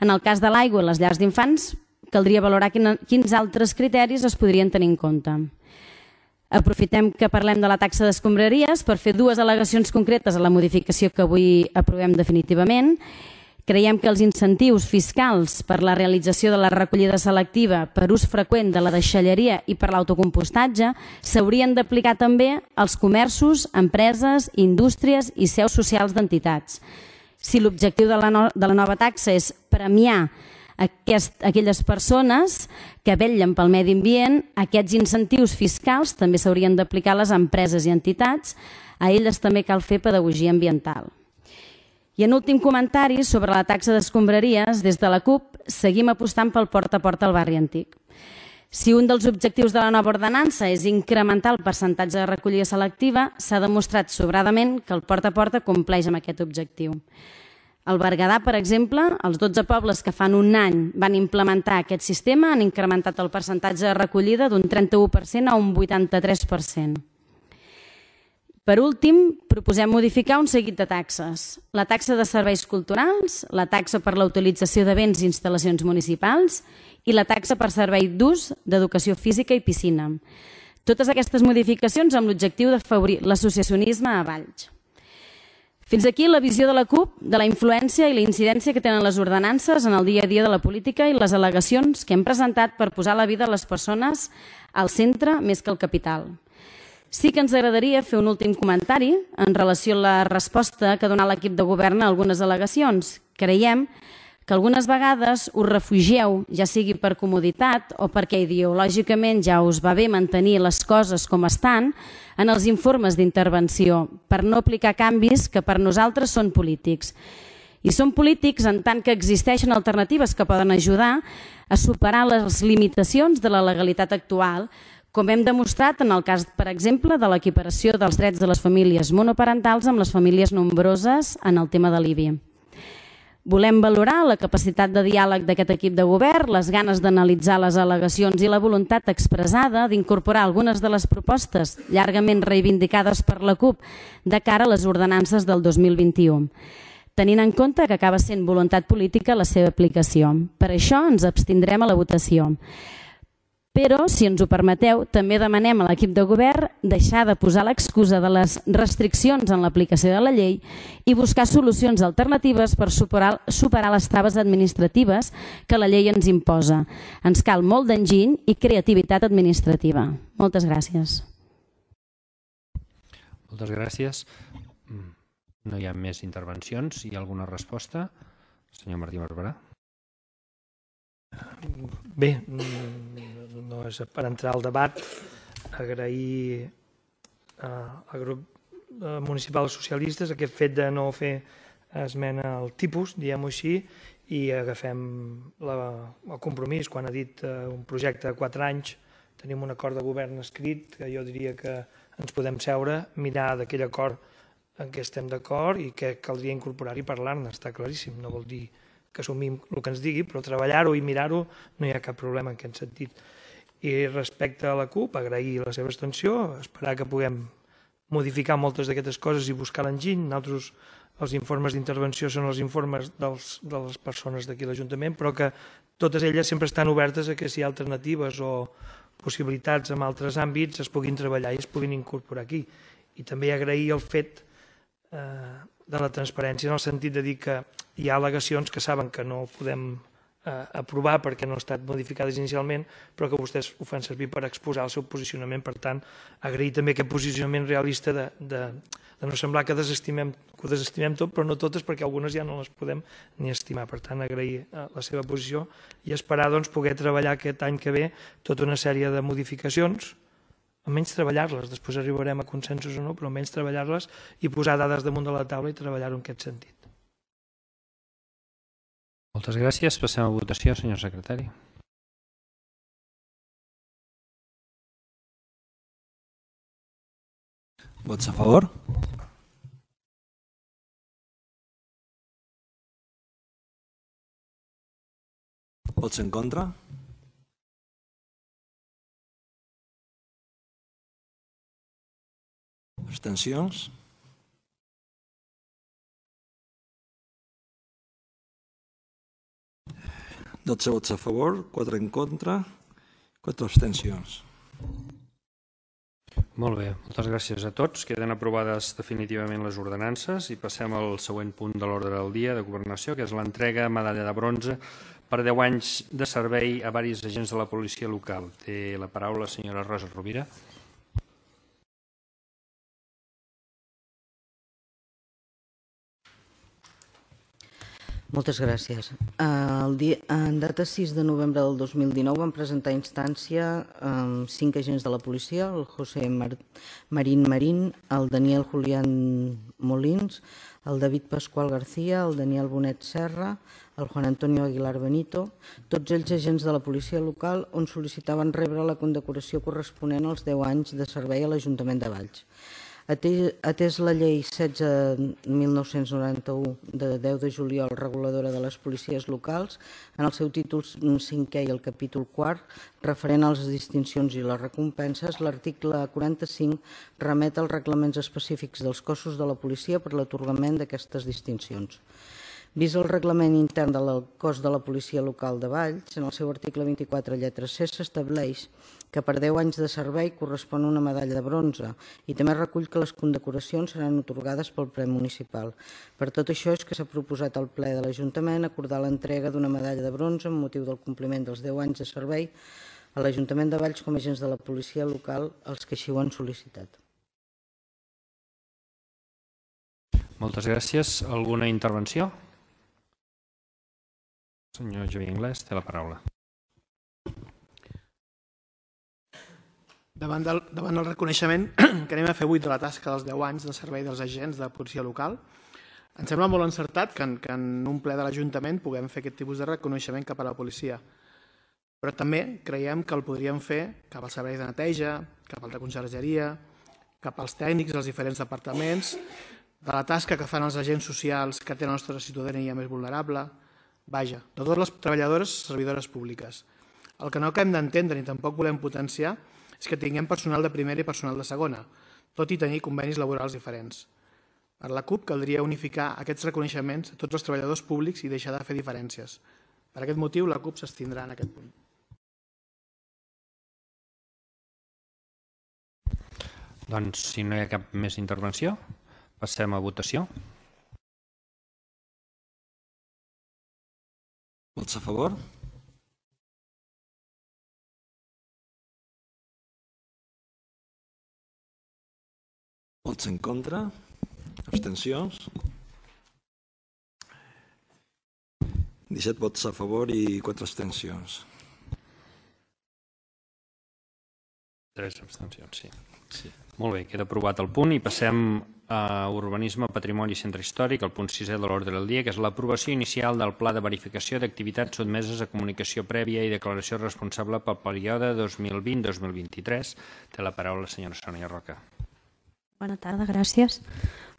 En el cas de l'aigua i les llars d'infants caldria valorar quins altres criteris es podrien tenir en compte. Aprofitem que parlem de la taxa d'escombraries per fer dues al·legacions concretes a la modificació que avui aprovem definitivament. Creiem que els incentius fiscals per la realització de la recollida selectiva per ús freqüent de la deixalleria i per l'autocompostatge s'haurien d'aplicar també als comerços, empreses, indústries i seus socials d'entitats. Si l'objectiu de, no, de la nova taxa és premiar aquest, aquelles persones que vetllen pel medi ambient, aquests incentius fiscals també s'haurien d'aplicar a les empreses i entitats. A elles també cal fer pedagogia ambiental. I en últim comentari sobre la taxa d'escombraries, des de la CUP seguim apostant pel porta a porta al barri antic. Si un dels objectius de la nova ordenança és incrementar el percentatge de recollida selectiva, s'ha demostrat sobradament que el porta a porta compleix amb aquest objectiu. Al Berguedà, per exemple, els dotze pobles que fan un any van implementar aquest sistema han incrementat el percentatge de recollida d'un trenta-u per cent a un vuitanta-tres per cent. Per últim, proposem modificar un seguit de taxes. La taxa de serveis culturals, la taxa per la utilització de béns i instal·lacions municipals i la taxa per servei d'ús d'educació física i piscina. Totes aquestes modificacions amb l'objectiu d'afavorir l'associacionisme a Valls. Fins aquí la visió de la CUP de la influència i la incidència que tenen les ordenances en el dia a dia de la política i les al·legacions que hem presentat per posar la vida de les persones al centre més que al capital. Sí que ens agradaria fer un últim comentari en relació a la resposta que ha donat l'equip de govern a algunes al·legacions. Creiem que algunes vegades us refugieu, ja sigui per comoditat o perquè ideològicament ja us va bé mantenir les coses com estan, en els informes d'intervenció, per no aplicar canvis que per nosaltres són polítics. I són polítics en tant que existeixen alternatives que poden ajudar a superar les limitacions de la legalitat actual, com hem demostrat en el cas, per exemple, de l'equiparació dels drets de les famílies monoparentals amb les famílies nombroses en el tema de l'I B I. Volem valorar la capacitat de diàleg d'aquest equip de govern, les ganes d'analitzar les al·legacions i la voluntat expressada d'incorporar algunes de les propostes llargament reivindicades per la CUP de cara a les ordenances del dos mil vint-i-u, tenint en compte que acaba sent voluntat política la seva aplicació. Per això ens abstindrem a la votació. Però, si ens ho permeteu, també demanem a l'equip de govern deixar de posar l'excusa de les restriccions en l'aplicació de la llei i buscar solucions alternatives per superar, superar les traves administratives que la llei ens imposa. Ens cal molt d'enginy i creativitat administrativa. Moltes gràcies. Moltes gràcies. No hi ha més intervencions. Hi ha alguna resposta? Senyor Martí Barberà. Bé, no és per entrar al debat, agrair al grup municipal dels socialistes aquest fet de no fer esmena al tipus, diguem-ho així, i agafem el compromís. Quan ha dit un projecte de quatre anys, tenim un acord de govern escrit, que jo diria que ens podem seure, mirar d'aquell acord en què estem d'acord i que caldria incorporar-hi i parlar-ne, està claríssim. No vol dir que assumim el que ens digui, però treballar-ho i mirar-ho no hi ha cap problema en aquest sentit. I respecte a la CUP, agrair la seva extensió, esperar que puguem modificar moltes d'aquestes coses i buscar l'enginy. Nosaltres, els informes d'intervenció són els informes de les persones d'aquí a l'Ajuntament, però que totes elles sempre estan obertes a que si hi ha alternatives o possibilitats en altres àmbits es puguin treballar i es puguin incorporar aquí. I també agrair el fet de la transparència en el sentit de dir que hi ha al·legacions que saben que no podem aprovar perquè no han estat modificades inicialment, però que vostès ho fan servir per exposar el seu posicionament. Per tant, agrair també aquest posicionament realista de no semblar que ho desestimem tot, però no totes, perquè algunes ja no les podem ni estimar. Per tant, agrair la seva posició i esperar poder treballar aquest any que ve tota una sèrie de modificacions, almenys treballar-les, després arribarem a consensos o no, però almenys treballar-les i posar dades damunt de la taula i treballar-ho en aquest sentit. Moltes gràcies. Passem a votació, senyor secretari. Vots a favor? Vots en contra? Abstencions? dotze vots a favor, quatre en contra, quatre abstencions. Molt bé, moltes gràcies a tots. Queden aprovades definitivament les ordenances i passem al següent punt de l'ordre del dia de governació, que és l'entrega de medalla de bronze per deu anys de servei a diversos agents de la policia local. Té la paraula la senyora Rosa Rovira. Moltes gràcies. En data sis de novembre del dos mil dinou van presentar instància cinc agents de la policia, el José Marín Marín, el Daniel Julián Molins, el David Pascual García, el Daniel Bonet Serra, el Juan Antonio Aguilar Benito, tots ells agents de la policia local on sol·licitaven rebre la condecoració corresponent als deu anys de servei a l'Ajuntament de Valls. Atès la llei setze mil nou-cents noranta-u de deu de juliol reguladora de les policies locals, en el seu títol cinquè i el capítol quart, referent a les distincions i les recompenses, l'article quaranta-cinc remet als reglaments específics dels cossos de la policia per l'atorgament d'aquestes distincions. Vist el reglament intern del cos de la policia local de Valls, en el seu article vint-i-quatre lletra C s'estableix que per deu anys de servei correspon una medalla de bronze i també recull que les condecoracions seran atorgades pel ple municipal. Per tot això és que s'ha proposat al ple de l'Ajuntament acordar l'entrega d'una medalla de bronze amb motiu del compliment dels deu anys de servei a l'Ajuntament de Valls com a agents de la policia local als que així ho han sol·licitat. Moltes gràcies. Alguna intervenció? Senyor Javier Inglés, té la paraula. Davant del reconeixement que anem a fer avui de la tasca dels deu anys de servei dels agents de policia local, ens sembla molt encertat que en un ple de l'Ajuntament puguem fer aquest tipus de reconeixement cap a la policia. Però també creiem que el podríem fer cap al servei de neteja, cap al de consergeria, cap als tècnics dels diferents departaments, de la tasca que fan els agents socials que tenen la nostra ciutadania més vulnerable, vaja, de totes les treballadores servidores públiques. El que no acabem d'entendre ni tampoc volem potenciar és que tinguem personal de primera i personal de segona, tot i tenir convenis laborals diferents. Per la CUP caldria unificar aquests reconeixements a tots els treballadors públics i deixar de fer diferències. Per aquest motiu, la CUP s'abstindrà en aquest punt. Doncs, si no hi ha cap més intervenció, passem a votació. Vots a favor? Vots en contra? Abstencions? disset vots a favor i quatre abstencions. Tres abstencions, sí. sí. Molt bé, queda aprovat el punt i passem a Urbanisme, Patrimoni i Centre Històric, el punt sisè de l'ordre del dia, que és l'aprovació inicial del Pla de Verificació d'Activitats sotmeses a comunicació prèvia i declaració responsable pel període dos mil vint a dos mil vint-i-tres. Té la paraula la senyora Sònia Roca. Bona tarda, gràcies.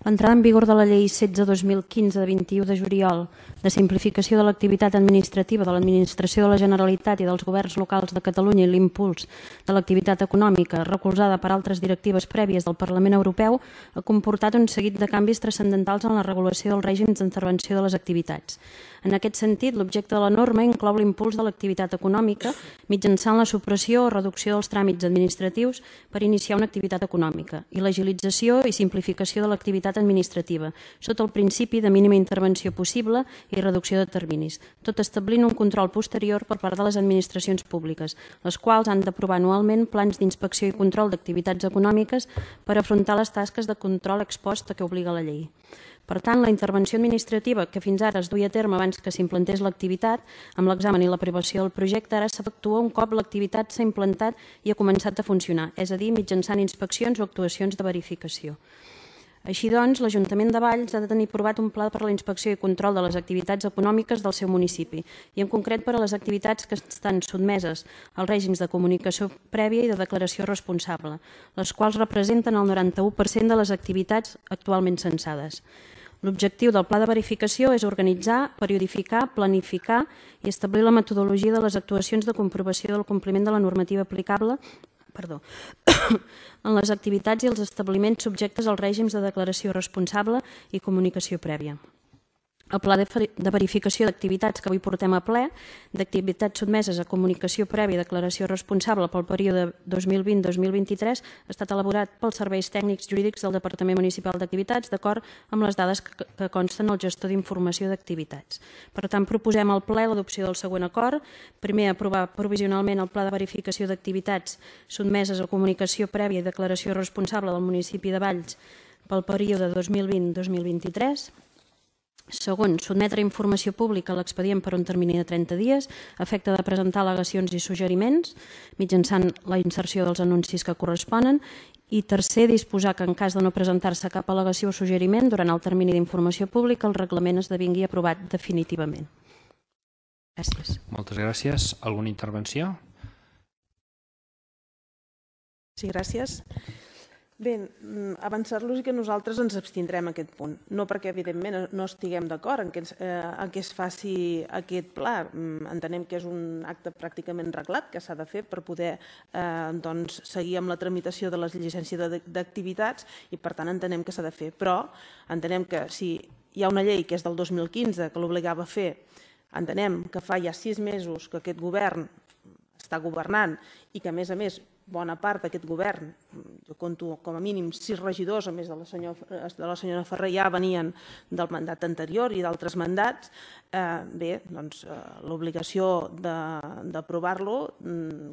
L'entrada en vigor de la Llei setze dos mil quinze de vint-i-u de juliol de simplificació de l'activitat administrativa de l'Administració de la Generalitat i dels governs locals de Catalunya i l'impuls de l'activitat econòmica recolzada per altres directives prèvies del Parlament Europeu ha comportat un seguit de canvis transcendentals en la regulació dels règims d'intervenció de les activitats. En aquest sentit, l'objecte de la norma inclou l'impuls de l'activitat econòmica mitjançant la supressió o reducció dels tràmits administratius per iniciar una activitat econòmica i l'agilització i simplificació de l'activitat administrativa, sota el principi de mínima intervenció possible i reducció de terminis, tot establint un control posterior per part de les administracions públiques, les quals han d'aprovar anualment plans d'inspecció i control d'activitats econòmiques per afrontar les tasques de control ex post a què obliga la llei. Per tant, la intervenció administrativa que fins ara es duia a terme abans que s'implantés l'activitat, amb l'examen i l'aprovació del projecte, ara s'efectua un cop l'activitat s'ha implantat i ha començat a funcionar, és a dir, mitjançant inspeccions o actuacions de verificació. Així doncs, l'Ajuntament de Valls ha de tenir aprovat un pla per a la inspecció i control de les activitats econòmiques del seu municipi i en concret per a les activitats que estan sotmeses als règims de comunicació prèvia i de declaració responsable, les quals representen el noranta-u per cent de les activitats actualment censades. L'objectiu del pla de verificació és organitzar, periodificar, planificar i establir la metodologia de les actuacions de comprovació del compliment de la normativa aplicable perdó, en les activitats i els establiments subjectes als règims de declaració responsable i comunicació prèvia. El pla de verificació d'activitats que avui portem a ple, d'activitats sotmeses a comunicació prèvia i declaració responsable pel període dos mil vint a dos mil vint-i-tres, ha estat elaborat pels serveis tècnics jurídics del Departament Municipal d'Activitats d'acord amb les dades que consten al gestor d'informació d'activitats. Per tant, proposem al ple l'adopció del següent acord. Primer, aprovar provisionalment el pla de verificació d'activitats sotmeses a comunicació prèvia i declaració responsable del municipi de Valls pel període dos mil vint a dos mil vint-i-tres. Segon, sotmetre informació pública a l'expedient per un termini de trenta dies a efecte de presentar al·legacions i suggeriments mitjançant la inserció dels anuncis que corresponen. I tercer, disposar que en cas de no presentar-se cap al·legació o suggeriment durant el termini d'informació pública el reglament esdevingui aprovat definitivament. Gràcies. Moltes gràcies. Alguna intervenció? Sí, gràcies. Bé, avançar-los que nosaltres ens abstindrem en aquest punt. No perquè, evidentment, no estiguem d'acord en que es faci aquest pla. Entenem que és un acte pràcticament reglat que s'ha de fer per poder seguir amb la tramitació de les llicències d'activitats i, per tant, entenem que s'ha de fer. Però entenem que si hi ha una llei que és del dos mil quinze que l'obligava a fer, entenem que fa ja sis mesos que aquest govern està governant i que, a més a més, bona part d'aquest govern, jo conto com a mínim sis regidors, a més de la senyora Ferrer, ja venien del mandat anterior i d'altres mandats. Bé, doncs l'obligació d'aprovar-lo,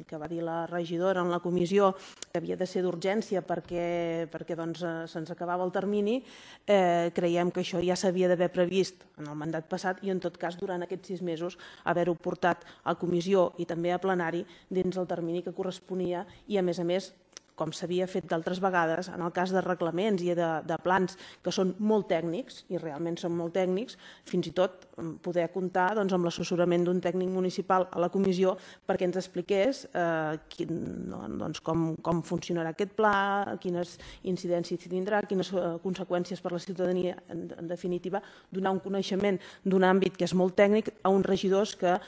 que va dir la regidora en la comissió que havia de ser d'urgència perquè se'ns acabava el termini, creiem que això ja s'havia d'haver previst en el mandat passat i en tot cas durant aquests sis mesos haver-ho portat a comissió i també a plenari dins el termini que corresponia i, a més a més, com s'havia fet d'altres vegades, en el cas de reglaments i de plans que són molt tècnics, i realment són molt tècnics, fins i tot poder comptar amb l'assessorament d'un tècnic municipal a la comissió perquè ens expliqués com funcionarà aquest pla, quines incidències tindrà, quines conseqüències per a la ciutadania, en definitiva, donar un coneixement d'un àmbit que és molt tècnic a uns regidors que,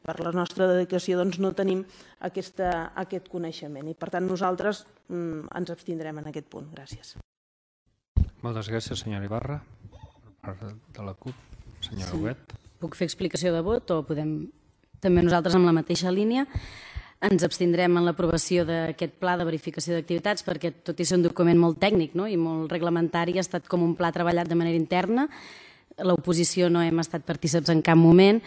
per la nostra dedicació, no tenim aquest coneixement. I, per tant, nosaltres ens abstindrem en aquest punt. Gràcies. Moltes gràcies, senyora Ibarra. Per part de la CUP, senyora Huguet. Puc fer explicació de vot o podem... També nosaltres amb la mateixa línia ens abstindrem en l'aprovació d'aquest pla de verificació d'activitats perquè, tot i ser un document molt tècnic i molt reglamentari, ha estat com un pla treballat de manera interna. L'oposició no hem estat partícips en cap moment,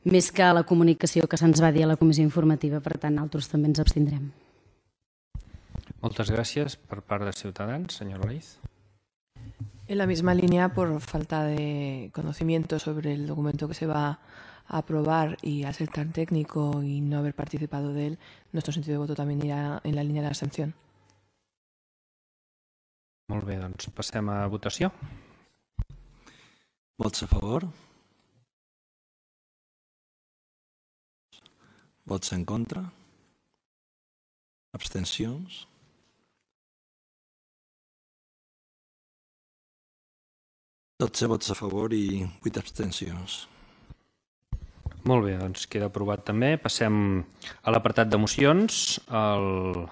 més que la comunicació que se'ns va dir a la comissió informativa. Per tant, nosaltres també ens abstindrem. Moltes gràcies. Per part de Ciutadans, senyor Leiz. En la misma línea, por falta de conocimiento sobre el documento que se va a aprobar y al ser tan técnico y no haber participado de él, nuestro sentido de voto también irà en la línia de l'abstenció. Molt bé, doncs passem a votació. Vots a favor? Vots en contra? Abstencions? dotze vots a favor i vuit abstencions. Molt bé, doncs queda aprovat també. Passem a l'apartat de mocions, el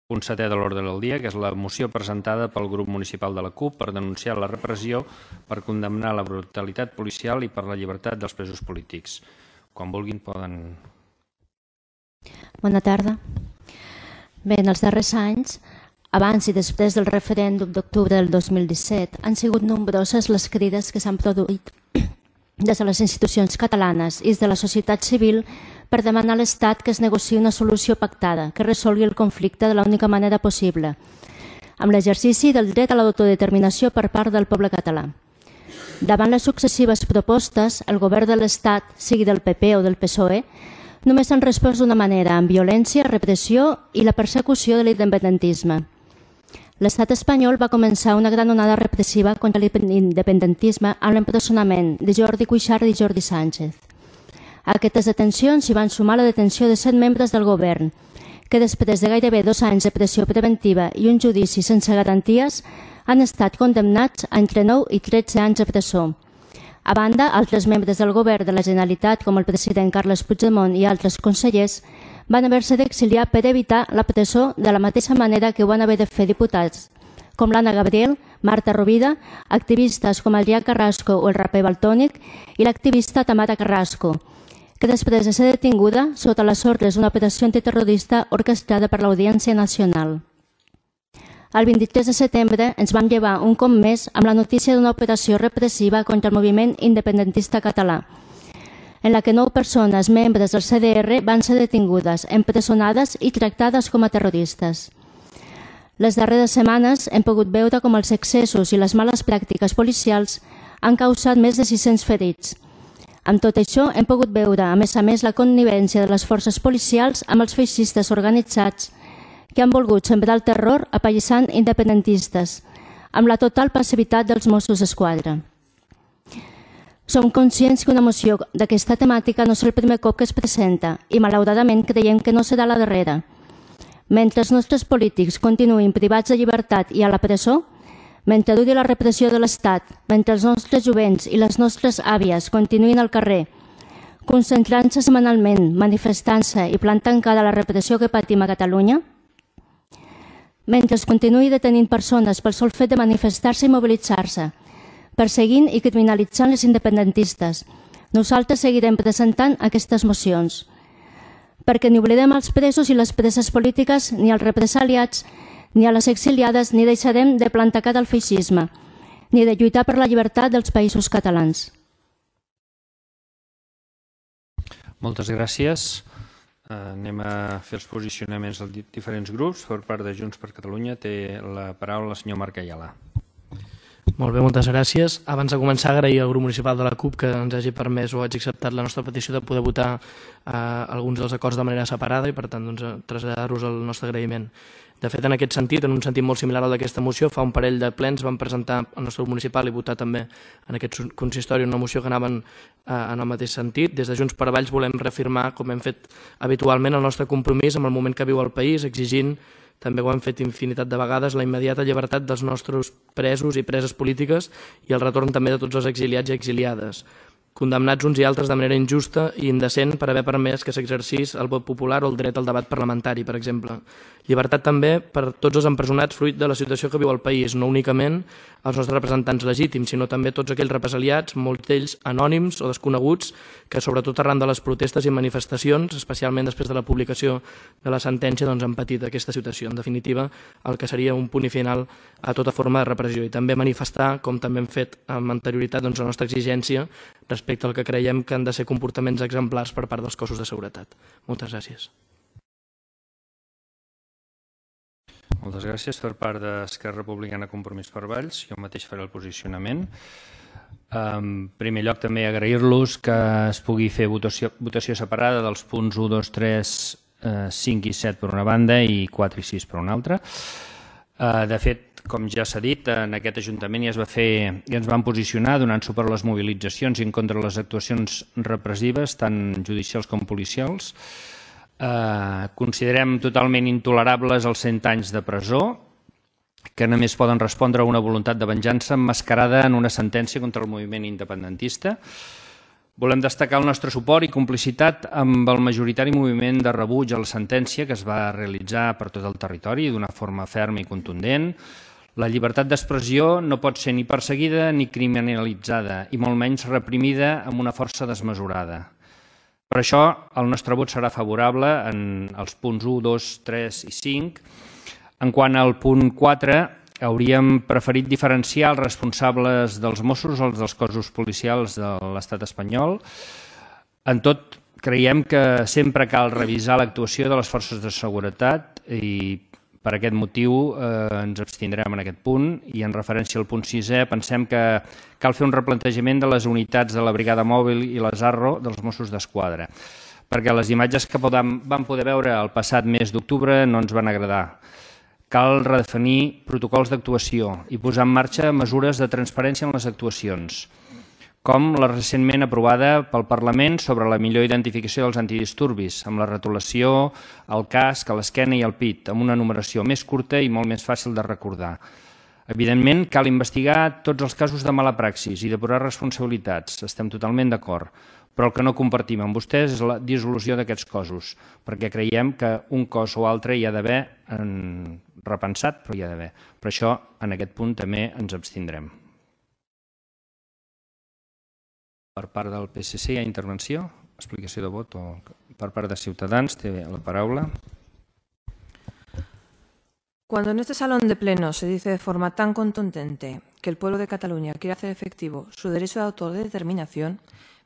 punt setè de l'ordre del dia, que és la moció presentada pel grup municipal de la CUP per denunciar la repressió, per condemnar la brutalitat policial i per la llibertat dels presos polítics. Quan vulguin poden... Bona tarda. Bé, en els darrers anys, abans i després del referèndum d'octubre del dos mil disset, han sigut nombroses les crides que s'han produït des de les institucions catalanes i des de la societat civil per demanar a l'Estat que es negociï una solució pactada que resolgui el conflicte de l'única manera possible, amb l'exercici del dret a l'autodeterminació per part del poble català. Davant les successives propostes, el govern de l'Estat, sigui del P P o del P S O E, només han respost d'una manera, amb violència, repressió i la persecució de l'independentisme. L'estat espanyol va començar una gran onada repressiva contra l'independentisme amb l'empresonament de Jordi Cuixart i Jordi Sánchez. A aquestes detencions s'hi van sumar la detenció de set membres del govern, que després de gairebé dos anys de pressió preventiva i un judici sense garanties han estat condemnats a entre nou i tretze anys de presó. A banda, altres membres del govern de la Generalitat, com el president Carles Puigdemont i altres consellers, van haver-se d'exiliar per evitar la presó de la mateixa manera que ho van haver de fer diputats, com l'Anna Gabriel, Marta Rovira, activistes com Adrià Carrasco o el raper Valtònic i l'activista Tamara Carrasco, que després de ser detinguda sota les ordres d'una operació antiterrorista orquestrada per l'Audiència Nacional. El vint-i-tres de setembre ens vam llevar un cop més amb la notícia d'una operació repressiva contra el moviment independentista català, en la que nou persones membres del C D R van ser detingudes, empresonades i tractades com a terroristes. Les darreres setmanes hem pogut veure com els excessos i les males pràctiques policials han causat més de sis-cents ferits. Amb tot això hem pogut veure, a més a més, la connivència de les forces policials amb els feixistes organitzats que han volgut sembrar el terror apallissant independentistes, amb la total passivitat dels Mossos d'Esquadra. Som conscients que una moció d'aquesta temàtica no és el primer cop que es presenta i, malauradament, creiem que no serà la darrera. Mentre els nostres polítics continuïn privats de llibertat i a la presó, mentre duri la repressió de l'Estat, mentre els nostres jovents i les nostres àvies continuïn al carrer, concentrant-se setmanalment, manifestant-se i plantant cara a la repressió que patim a Catalunya, mentre es continuï detenint persones pel sol fet de manifestar-se i mobilitzar-se, perseguint i criminalitzant les independentistes, nosaltres seguirem presentant aquestes mocions, perquè ni oblidem els presos i les preses polítiques, ni els represaliats, ni a les exiliades, ni deixarem de plantar cara al feixisme, ni de lluitar per la llibertat dels països catalans. Moltes gràcies. Anem a fer els posicionaments dels diferents grups. Per part de Junts per Catalunya té la paraula el senyor Marc Ayala. Molt bé, moltes gràcies. Abans de començar, agrair al grup municipal de la CUP que ens hagi permès o hagi acceptat la nostra petició de poder votar eh, alguns dels acords de manera separada i, per tant, doncs, traslladar-vos el nostre agraïment. De fet, en aquest sentit, en un sentit molt similar al d'aquesta moció, fa un parell de plens vam presentar al nostre grup municipal i votar també en aquest consistori una moció que anaven eh, en el mateix sentit. Des de Junts per Valls volem reafirmar, com hem fet habitualment, el nostre compromís amb el moment que viu el país, exigint, també ho hem fet infinitat de vegades, la immediata llibertat dels nostres presos i preses polítiques i el retorn també de tots els exiliats i exiliades, condemnats uns i altres de manera injusta i indecent per haver permès que s'exercís el vot popular o el dret al debat parlamentari, per exemple. Llibertat també per tots els empresonats fruit de la situació que viu el país, no únicament els nostres representants legítims, sinó també tots aquells represaliats, molts d'ells anònims o desconeguts, que sobretot arran de les protestes i manifestacions, especialment després de la publicació de la sentència, doncs, han patit aquesta situació. En definitiva, el que seria un punt i final a tota forma de repressió. I també manifestar, com també hem fet amb anterioritat, doncs, la nostra exigència respecte al que creiem que han de ser comportaments exemplars per part dels cossos de seguretat. Moltes gràcies. Moltes gràcies. Per part d'Esquerra Republicana Compromís per Valls, jo mateix faré el posicionament. En primer lloc, també agrair-los que es pugui fer votació, votació separada dels punts un, dos, tres, cinc i set per una banda i quatre i sis per una altra. De fet, com ja s'ha dit, en aquest Ajuntament ja es va fer i ens vam posicionar donant suport a les mobilitzacions i en contra de les actuacions repressives, tant judicials com policials. Eh, considerem totalment intolerables els cent anys de presó, que només poden respondre a una voluntat de venjança emmascarada en una sentència contra el moviment independentista. Volem destacar el nostre suport i complicitat amb el majoritari moviment de rebuig a la sentència que es va realitzar per tot el territori d'una forma ferma i contundent. La llibertat d'expressió no pot ser ni perseguida ni criminalitzada i molt menys reprimida amb una força desmesurada. Per això, el nostre vot serà favorable en els punts un, dos, tres i cinc. En quant al punt quatre, hauríem preferit diferenciar els responsables dels Mossos o els dels cossos policials de l'estat espanyol. En tot, creiem que sempre cal revisar l'actuació de les forces de seguretat i per aquest motiu eh, ens abstindrem en aquest punt i en referència al punt sisè pensem que cal fer un replantejament de les unitats de la Brigada Mòbil i les ARRO dels Mossos d'Esquadra, perquè les imatges que podem, vam poder veure el passat mes d'octubre no ens van agradar. Cal redefinir protocols d'actuació i posar en marxa mesures de transparència en les actuacions, com la recentment aprovada pel Parlament sobre la millor identificació dels antidisturbis, amb la retolació, el casc, a l'esquena i al pit, amb una numeració més curta i molt més fàcil de recordar. Evidentment, cal investigar tots els casos de mala praxis i depurar responsabilitats, estem totalment d'acord, però el que no compartim amb vostès és la dissolució d'aquests cossos, perquè creiem que un cos o altre hi ha d'haver repensat, però hi ha d'haver. Per això, en aquest punt també ens abstindrem. Per part del P S C hi ha intervenció, explicació de vot, o per part de Ciutadans té la paraula. Cuando en este salón de pleno se dice de forma tan contundente que el pueblo de Cataluña quiere hacer efectivo su derecho de autodeterminación,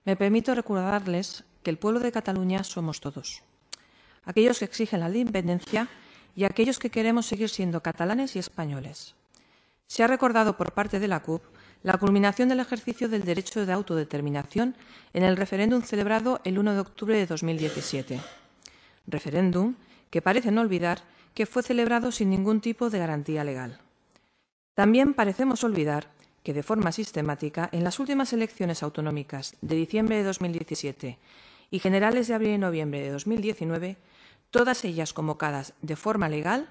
me permito recordarles que el pueblo de Cataluña somos todos. Aquellos que exigen la independencia y aquellos que queremos seguir siendo catalanes y españoles. Se ha recordado por parte de la C U P la culminación del ejercicio del derecho de autodeterminación en el referéndum celebrado el uno de octubre de dos mil diecisiete. Referéndum que parecen olvidar que fue celebrado sin ningún tipo de garantía legal. También parecemos olvidar que de forma sistemática en las últimas elecciones autonómicas de diciembre de dos mil diecisiete y generales de abril y noviembre de dos mil diecinueve, todas ellas convocadas de forma legal,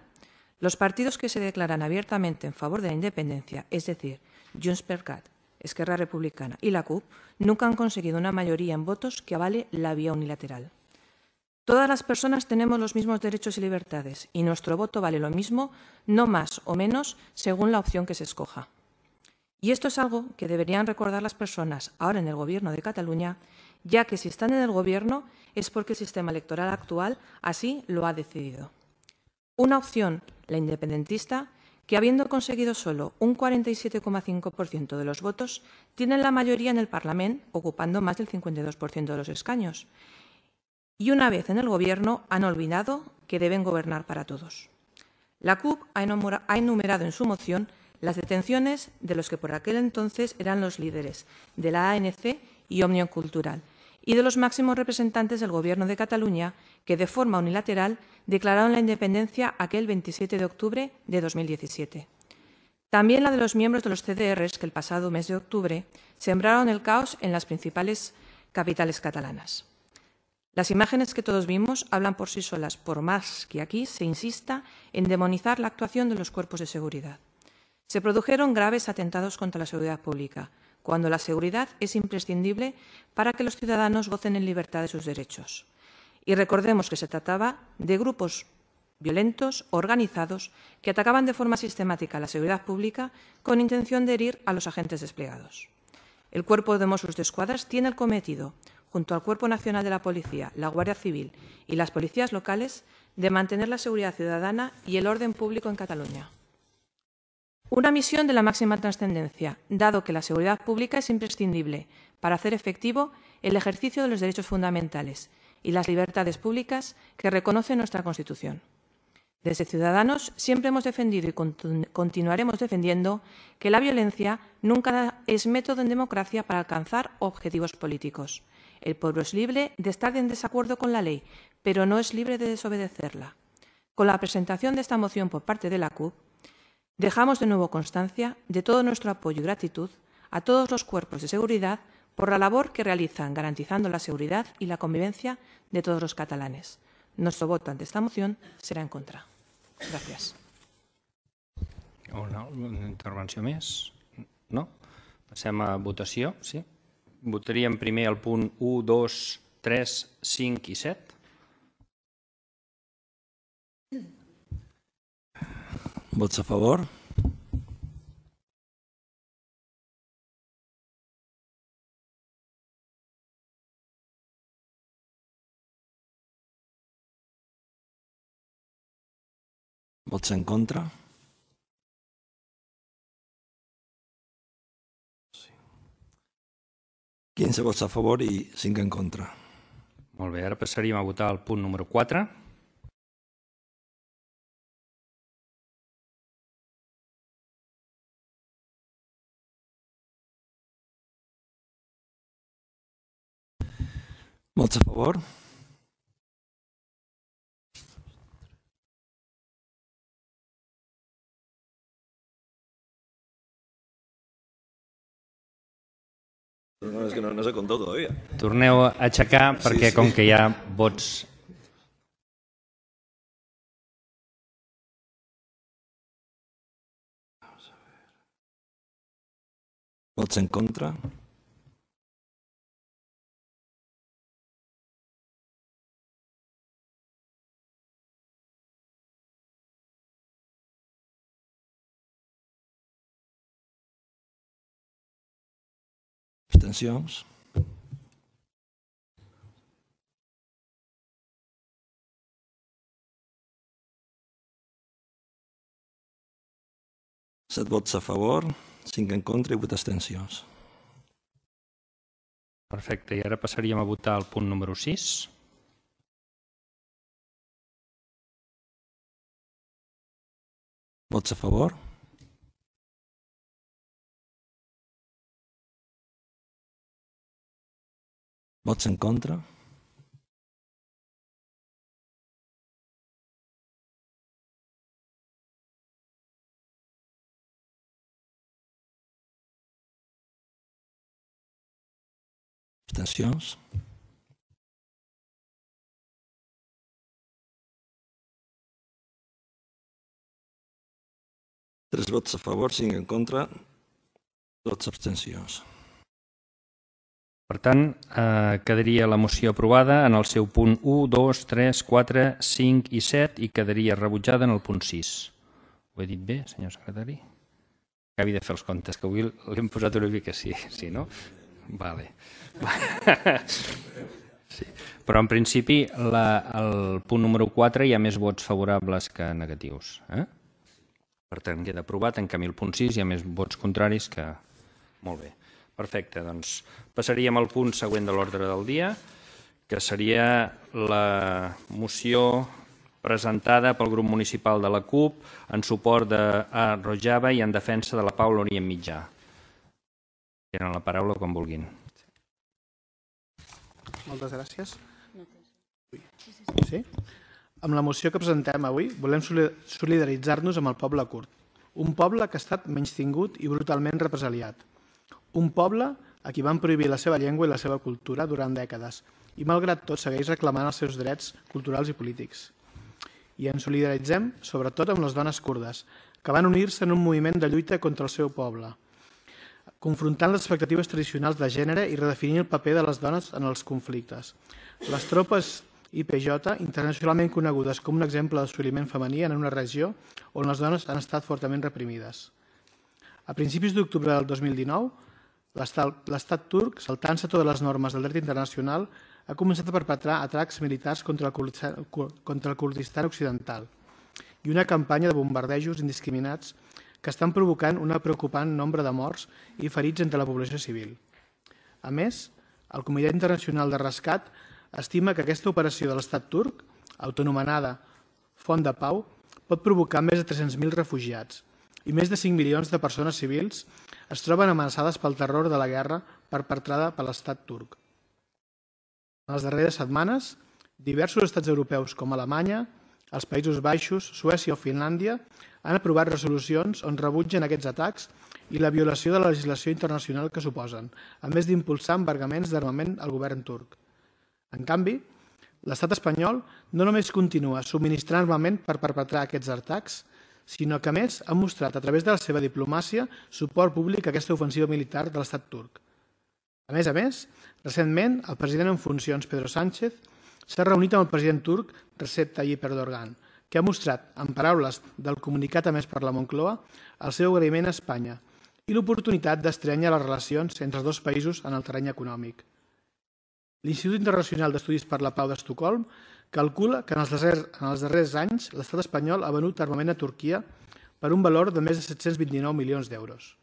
los partidos que se declaran abiertamente en favor de la independencia, es decir, Junts per Cat, Esquerra Republicana y la C U P, nunca han conseguido una mayoría en votos que avale la vía unilateral. Todas las personas tenemos los mismos derechos y libertades y nuestro voto vale lo mismo, no más o menos, según la opción que se escoja. Y esto es algo que deberían recordar las personas ahora en el Gobierno de Cataluña, ya que si están en el Gobierno es porque el sistema electoral actual así lo ha decidido. Una opción, la independentista, que habiendo conseguido solo un cuarenta y siete coma cinco por ciento de los votos, tienen la mayoría en el Parlamento, ocupando más del cincuenta y dos por ciento de los escaños. Y una vez en el Gobierno han olvidado que deben gobernar para todos. La C U P ha enumerado en su moción las detenciones de los que por aquel entonces eran los líderes de la A N C y Òmnium Cultural y de los máximos representantes del Gobierno de Cataluña que de forma unilateral declararon la independencia aquel veintisiete de octubre de dos mil diecisiete. También la de los miembros de los C D Rs que el pasado mes de octubre sembraron el caos en las principales capitales catalanas. Las imágenes que todos vimos hablan por sí solas, por más que aquí se insista en demonizar la actuación de los cuerpos de seguridad. Se produjeron graves atentados contra la seguridad pública, cuando la seguridad es imprescindible para que los ciudadanos gocen en libertad de sus derechos. Y recordemos que se trataba de grupos violentos, organizados, que atacaban de forma sistemática a la seguridad pública con intención de herir a los agentes desplegados. El Cuerpo de Mossos d'Esquadra tiene el cometido, junto al Cuerpo Nacional de la Policía, la Guardia Civil y las policías locales, de mantener la seguridad ciudadana y el orden público en Cataluña. Una misión de la máxima trascendencia, dado que la seguridad pública es imprescindible para hacer efectivo el ejercicio de los derechos fundamentales y las libertades públicas que reconoce nuestra Constitución. Desde Ciudadanos siempre hemos defendido y continuaremos defendiendo que la violencia nunca es método en democracia para alcanzar objetivos políticos. El pueblo es libre de estar en desacuerdo con la ley, pero no es libre de desobedecerla. Con la presentación de esta moción por parte de la C U P, dejamos de nuevo constancia de todo nuestro apoyo y gratitud a todos los cuerpos de seguridad por la labor que realizan garantizando la seguridad y la convivencia de todos los catalanes. Nuestro voto ante esta moción serà en contra. Gràcies. Una intervenció més? No? Passem a votació, sí? Votaríem primer el punt u, dos, tres, cinc i set. Vots a favor? Vots en contra? quinze vots a favor i cinc en contra. Molt bé, ara passaríem a votar el punt número quatre. Vots a favor? No, és que no, no s'ha comptat todavía. Torneu a aixecar perquè sí, sí. Com que hi ha vots... Vots en contra? Abstencions? Set vots a favor, cinc en contra i vuit abstencions. Perfecte, i ara passaríem a votar el punt número sis. Vots a favor? Vots en contra? Abstencions? Tres vots a favor, cinc en contra, dotze abstencions. Per tant, eh, quedaria la moció aprovada en el seu punt u, dos, tres, quatre, cinc i set i quedaria rebutjada en el punt sis. Ho he dit bé, senyor secretari? Acabi de fer els comptes, que avui l'hem posat una mica així, sí, no? Vale. Sí. Però en principi la, el punt número quatre hi ha més vots favorables que negatius. Eh? Per tant, queda aprovat. En canvi, el punt sis hi ha més vots contraris que... Molt bé. Perfecte. Doncs passaríem al punt següent de l'ordre del dia, que seria la moció presentada pel grup municipal de la C U P en suport a Rojava i en defensa de la pau a l'Orient Mitjà. Tenen la paraula quan vulguin. Moltes gràcies. Sí? Amb la moció que presentem avui volem solidaritzar-nos amb el poble kurd, un poble que ha estat menystingut i brutalment represaliat, un poble a qui van prohibir la seva llengua i la seva cultura durant dècades i malgrat tot segueix reclamant els seus drets culturals i polítics. I ens solidaritzem sobretot amb les dones kurdes, que van unir-se en un moviment de lluita contra el seu poble, confrontant les expectatives tradicionals de gènere i redefinint el paper de les dones en els conflictes. Les tropes I P J, internacionalment conegudes com un exemple d'assoliment femení en una regió on les dones han estat fortament reprimides. A principis d'octubre del dos mil dinou, l'estat turc, saltant-se totes les normes del dret internacional, ha començat a perpetrar atacs militars contra el Kurdistan occidental i una campanya de bombardejos indiscriminats que estan provocant un preocupant nombre de morts i ferits entre la població civil. A més, el Comitè Internacional de Rescat estima que aquesta operació de l'estat turc, autonomenada Font de Pau, pot provocar més de tres-cents mil refugiats i més de cinc milions de persones civils es troben amenaçades pel terror de la guerra perpetrada per l'estat turc. En les darreres setmanes, diversos estats europeus com Alemanya, els Països Baixos, Suècia o Finlàndia han aprovat resolucions on rebutgen aquests atacs i la violació de la legislació internacional que suposen, a més d'impulsar embargaments d'armament al govern turc. En canvi, l'estat espanyol no només continua subministrant armament per perpetrar aquests atacs, sinó que, a més, ha mostrat a través de la seva diplomàcia suport públic a aquesta ofensiva militar de l'estat turc. A més a més, recentment, el president en funcions, Pedro Sánchez, s'ha reunit amb el president turc, Recep Tayyip Erdogan, que ha mostrat, en paraules del comunicat emès per la Moncloa, el seu agraïment a Espanya i l'oportunitat d'estrenyar les relacions entre els dos països en el terreny econòmic. L'Institut Internacional d'Estudis per la Pau d'Estocolm calcula que en els, darrers, en els darrers anys l'estat espanyol ha venut armament a Turquia per un valor de més de set-cents vint-i-nou milions d'euros.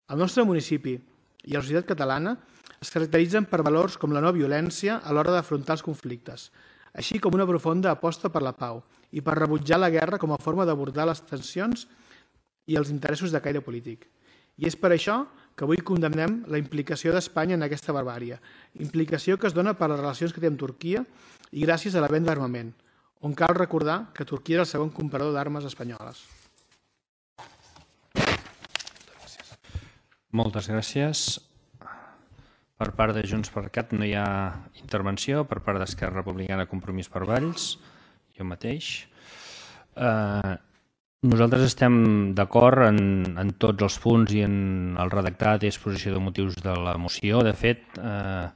El nostre municipi i la societat catalana es caracteritzen per valors com la no violència a l'hora d'afrontar els conflictes, així com una profunda aposta per la pau i per rebutjar la guerra com a forma d'abordar les tensions i els interessos de caire polític. I és per això que avui condemnem la implicació d'Espanya en aquesta barbària, implicació que es dona per les relacions que té amb Turquia i gràcies a la venda d'armament, on cal recordar que Turquia és el segon comprador d'armes espanyoles. Moltes gràcies. Per part de Junts per Cat no hi ha intervenció, per part d'Esquerra Republicana Compromís per Valls, jo mateix. Eh, nosaltres estem d'acord en, en tots els punts i en el redactat i exposició de motius de la moció. De fet, eh,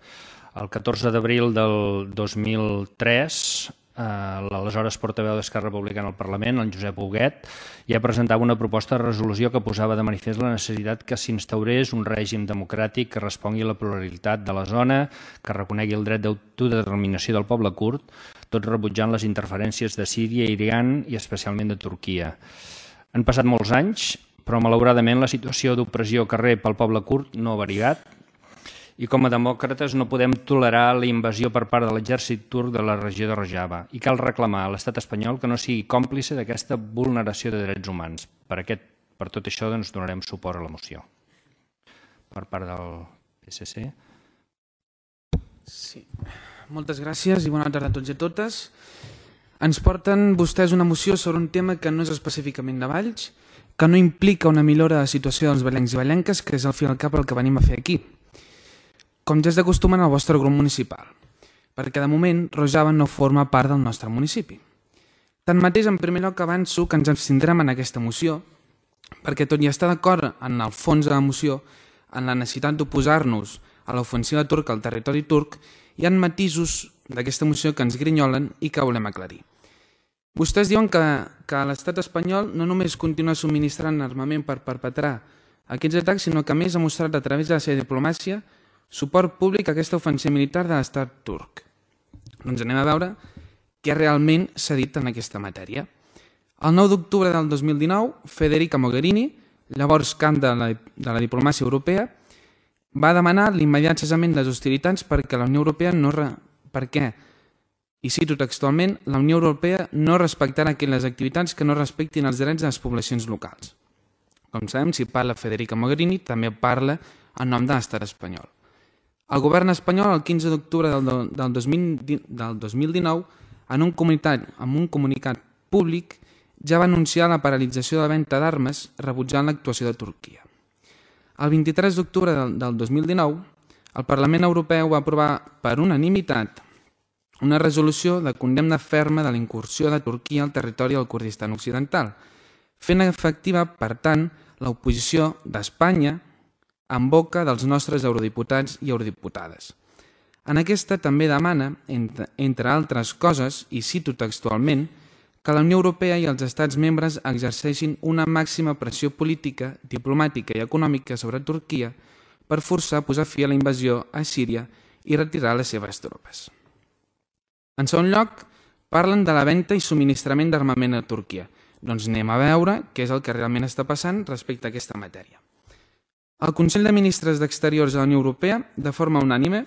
el catorze d'abril del dos mil tres, eh, l'aleshores portaveu d'Esquerra Republicana al Parlament, el Josep Huguet, ja presentava una proposta de resolució que posava de manifest la necessitat que s'instaurés un règim democràtic que respongui a la pluralitat de la zona, que reconegui el dret d'autodeterminació del poble kurd, tot rebutjant les interferències de Síria, Iran i especialment de Turquia. Han passat molts anys, però malauradament la situació d'opressió que rep el poble kurd no ha variat i com a demòcrates no podem tolerar la invasió per part de l'exèrcit turc de la regió de Rojava i cal reclamar a l'estat espanyol que no sigui còmplice d'aquesta vulneració de drets humans. Per, aquest, per tot això doncs, donarem suport a la moció. Per part del P S C. Sí. Moltes gràcies i bona tarda a tots i a totes. Ens porten vostès una moció sobre un tema que no és específicament de Valls, que no implica una millora de la situació dels vallencs i vallenques, que és al fi i al cap el que venim a fer aquí. Com ja és de costum en el vostre grup municipal, perquè de moment Rojava no forma part del nostre municipi. Tanmateix, en primer lloc avanço que ens abstindrem en aquesta moció, perquè tot i estar d'acord en el fons de la moció, en la necessitat d'oposar-nos a l'ofensiva turca al territori turc, hi ha matisos d'aquesta moció que ens grinyolen i que volem aclarir. Vostès diuen que, que l'estat espanyol no només continua subministrant armament per perpetrar aquests atacs, sinó que a més ha mostrat a través de la seva diplomàcia suport públic a aquesta ofensiva militar de l'estat turc. Doncs anem a veure què realment s'ha dit en aquesta matèria. El nou d'octubre del dos mil dinou, Federica Mogherini, llavors cap de la, de la diplomàcia europea, va demanar l'immediat cessament de les hostilitats perquè la Unió Europea no... Re... perquè, i cito textualment, la Unió Europea no respectarà aquelles activitats que no respectin els drets de les poblacions locals. Com sabem, si parla Federica Mogherini, també parla en nom de l'estat espanyol. El govern espanyol, el quinze d'octubre del, del, del dos mil dinou, en un comunicat, en un comunicat públic, ja va anunciar la paralització de la venda d'armes rebutjant l'actuació de Turquia. El vint-i-tres d'octubre del, del dos mil dinou, el Parlament Europeu va aprovar per unanimitat una resolució de condemna ferma de la incursió de Turquia al territori del Kurdistan Occidental, fent efectiva, per tant, l'oposició d'Espanya en boca dels nostres eurodiputats i eurodiputades. En aquesta també demana, entre, entre altres coses, i cito textualment, que la Unió Europea i els estats membres exerceixin una màxima pressió política, diplomàtica i econòmica sobre Turquia per forçar a posar fi a la invasió a Síria i retirar les seves tropes. En segon lloc, parlen de la venda i subministrament d'armament a Turquia. Doncs anem a veure què és el que realment està passant respecte a aquesta matèria. El Consell de Ministres d'Exteriors de la Unió Europea, de forma unànime,